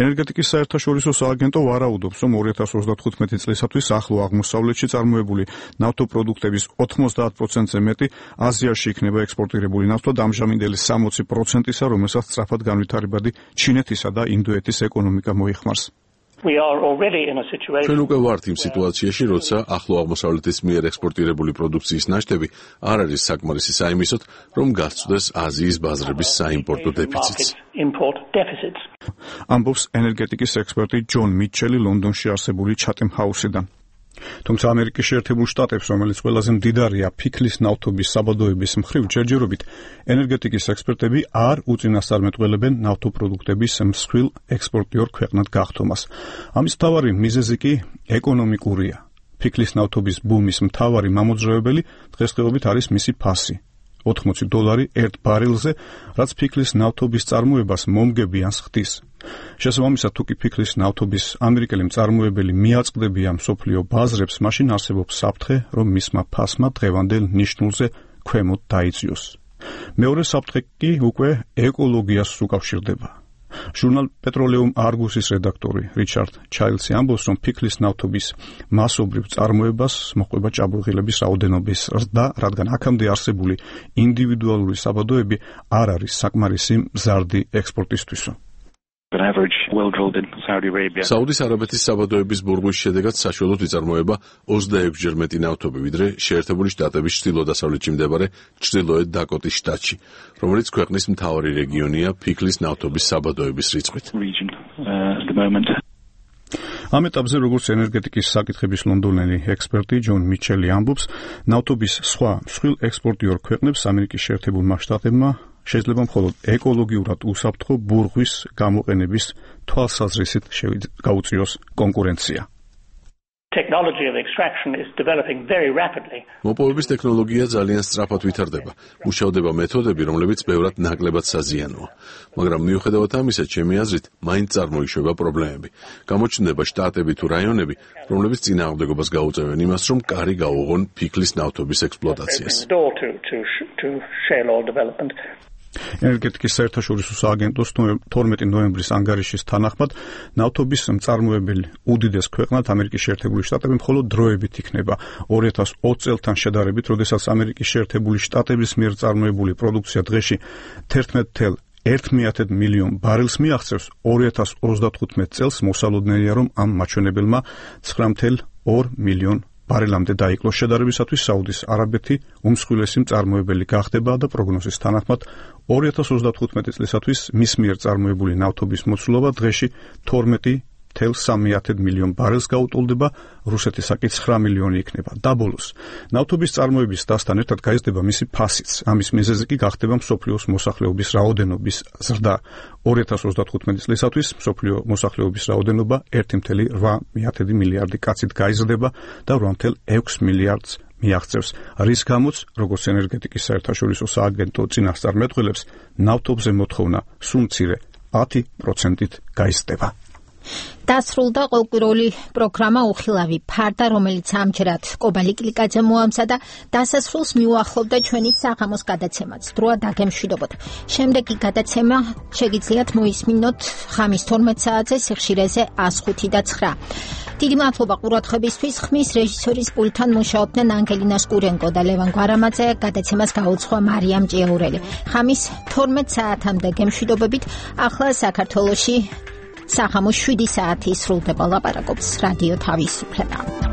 ენერგეტიკის საერთაშორისო სააგენტო ვარაუდობს, რომ ორი ათას ოცდათხუთმეტი წლისათვის ახლო აღმოსავლეთში წარმოებული ნავთობპროდუქტების ოცდაათ პროცენტზე მეტი აზიაში იქნება ექსპორტირებული ნავთობა და ამჟამინდელი სამოცი პროცენტისა, რომელსაც სწრაფად განვითარებადი ჩინეთისა და ინდოეთის ეკონომიკა მოიხმარს. ჩვენ უკვე ვართ იმ სიტუაციაში, როცა ახლო აღმოსავლეთის მიერ ექსპორტირებული პროდუქციის ნაშთები არ არის საკმარისი საიმისოდ, რომ გასცდეს აზიის ბაზრების საიმპორტო დეფიციტს. ამბობს ენერგეტიკის ექსპერტი ჯონ მიჩელი ლონდონში არსებული ჩატემ ჰაუსიდან. თუმცა ამერიკის შეერთებულ შტატებს, რომელიც ყველაზე მდიდარია ფიქლის ნავთობის საბადოების მხრივ, ჯერჯერობით ენერგეტიკის ექსპერტები არ უწინასწარმეტყველებენ ნავთობპროდუქტების მსხვილ ექსპორტიორ ქვეყნად გახდომას. ამის მთავარი მიზეზი კი ეკონომიკურია. ფიქლის ნავთობის ბუმის მთავარი მამოძრავებელი დღესდღეობით არის მისი ფასი. ოთხმოცი დოლარი ერთ ბარელზე, რაც ფიქლის ნავთობის წარმოებას მომგებიანს ხდის. შესაბამისად, თუ კი ფიქლის ნავთობის ამერიკელი მწარმოებელი მიაწყდებიან მსოფლიო ბაზრებს, მაშინ არსებობს საფრთხე, რომ მისმა ფასმა დღევანდელ ნიშნულზე ქვემოთ დაიწიოს. მეორე საფრთხე კი უკვე ეკოლოგიას უკავშირდება. ჟურნალ პეტროლიუმ არგუსის რედაქტორი რიჩარდ ჩაილდსი ამბობს, რომ ფიქლის ნავთობის მასობრივ წარმოებას მოჰყვება ჭაბურღილების რაოდენობის ზრდა, რადგან აქამდე არსებული ინდივიდუალური საბადოები არ არის საკმარისი მზარდი ექსპორტისთვისო. საუდის არაბეთის საბადოების ბურღვის შედეგად საშუალოდ იწარმოება ოცდაექვსჯერ მეტი ნავთობი, ვიდრე შეერთებული შტატების ჩრდილო-დასავლეთში მდებარე ჩრდილოეთ დაკოტის შტატში, რომელიც ქვეყნის მთავარი რეგიონია ფიქლის ნავთობის საბადოების რიცხვით. ამ ეტაპზე, როგორც ენერგეტიკის საკითხების ლონდონელი ექსპერტი ჯონ მიჩელი ამბობს, ნავთობის სხვა მსხვილ ექსპორტიორ ქვეყნებს ამერიკის შეერთებულმა შტატებმა შეიძლება მხოლოდ ეკოლოგიურად უსაფრთხო ბურღვის გამოყენების თვალსაზრისით გაუწიოს კონკურენცია. მოპოვების ტექნოლოგია ძალიან სწრაფად ვითარდება. მუშავდება მეთოდები, რომლებიც ბევრად ნაკლებად საზიანოა. მაგრამ მიუხედავად ამისა, ჩემი აზრით, მაინც წარმოიშვება პრობლემები. გამოჩნდება შტატები თუ რაიონები, რომლებიც წინააღმდეგობას გაუწევენ იმას, რომ კარი გაუღონ ფიქლის ნავთობის ექსპლუატაციას. ენერგეტიკის საერთაშორისო სააგენტოს თორმეტი ნოემბრის ანგარიშის თანახმად ნავთობის მწარმოებელი უდიდეს ქვეყნად ამერიკის შეერთებული შტატები მხოლოდ დროებით იქნება ორი ათას ოცი წელთან შედარებით, როდესაც ამერიკის შეერთებული შტატების მიერ წარმოებული პროდუქცია დღეში თერთმეტ ათასობით მილიონ ბარელს მიაღწევს. ორი ათას ოცდათხუთმეტ წელს მოსალოდნელია, რომ ამ მაჩვენებელმა ცხრა ორი მილიონ ბარელამდე დაიკლოს. შედარებისათვის საუდის არაბეთი უმსხვილესი მწარმოებელი გახდება და პროგნოზის თანახმად ორი ათას ოცდათხუთმეტი წლისათვის მის მიერ წარმოებული ნავთობის მოცულობა დღეში თორმეტი სამი მილიონ ბარელს გაუტოლდება, რუსეთისაკი ცხრა მილიონი იქნება. და ბოლოს, ნავთობის წარმოების დასთან ერთად გაიზრდება მისი ფასიც. ამის მიზეზი კი გახდება მსოფლიოს მოსახლეობის რაოდენობის ზრდა. ორი ათას ოცდათხუთმეტი წლისათვის მსოფლიო მოსახლეობის რაოდენობა ერთი წუთი ოთხ მილიარდი კაცით გაიზრდება და ორი წუთი ექვსი მილიარდს მიაღწევს, რის გამოც, როგორც ენერგეტიკის საერთაშორისო სააგენტო წინასწარ მეტყველებს, ნავთობზე მოთხოვნა სულ მცირე ათი პროცენტით გაიზრდება. დასრულდა ყოველკვირეული პროგრამა უხილავი ფარდა, რომელიც ამჯერად კობალი კლიკაძე მოამზადა და დასასრულს მიუახლოვდა ჩვენი საღამოს გადაცემაც. დროა დაგემშვიდობოთ. შემდეგი გადაცემა შეგიძლიათ მოისმინოთ ხამის თორმეტ საათზე სიხშირეზე ას ხუთი და ცხრა. დიდი მადლობა ყურადღებისთვის. ხმის რეჟისორის პულტთან მუშაობდნენ ანგელინა სკურენკო და ლევან გვარამაძე. გადაცემას გაუძღვა მარიამ ჭიაურელი. ხამის თორმეტ საათამდე გემშვიდობებით. ახლა საქართველოში საღამოს შვიდი საათი სრულდება. ლაპარაკობს რადიო თავისუფლება.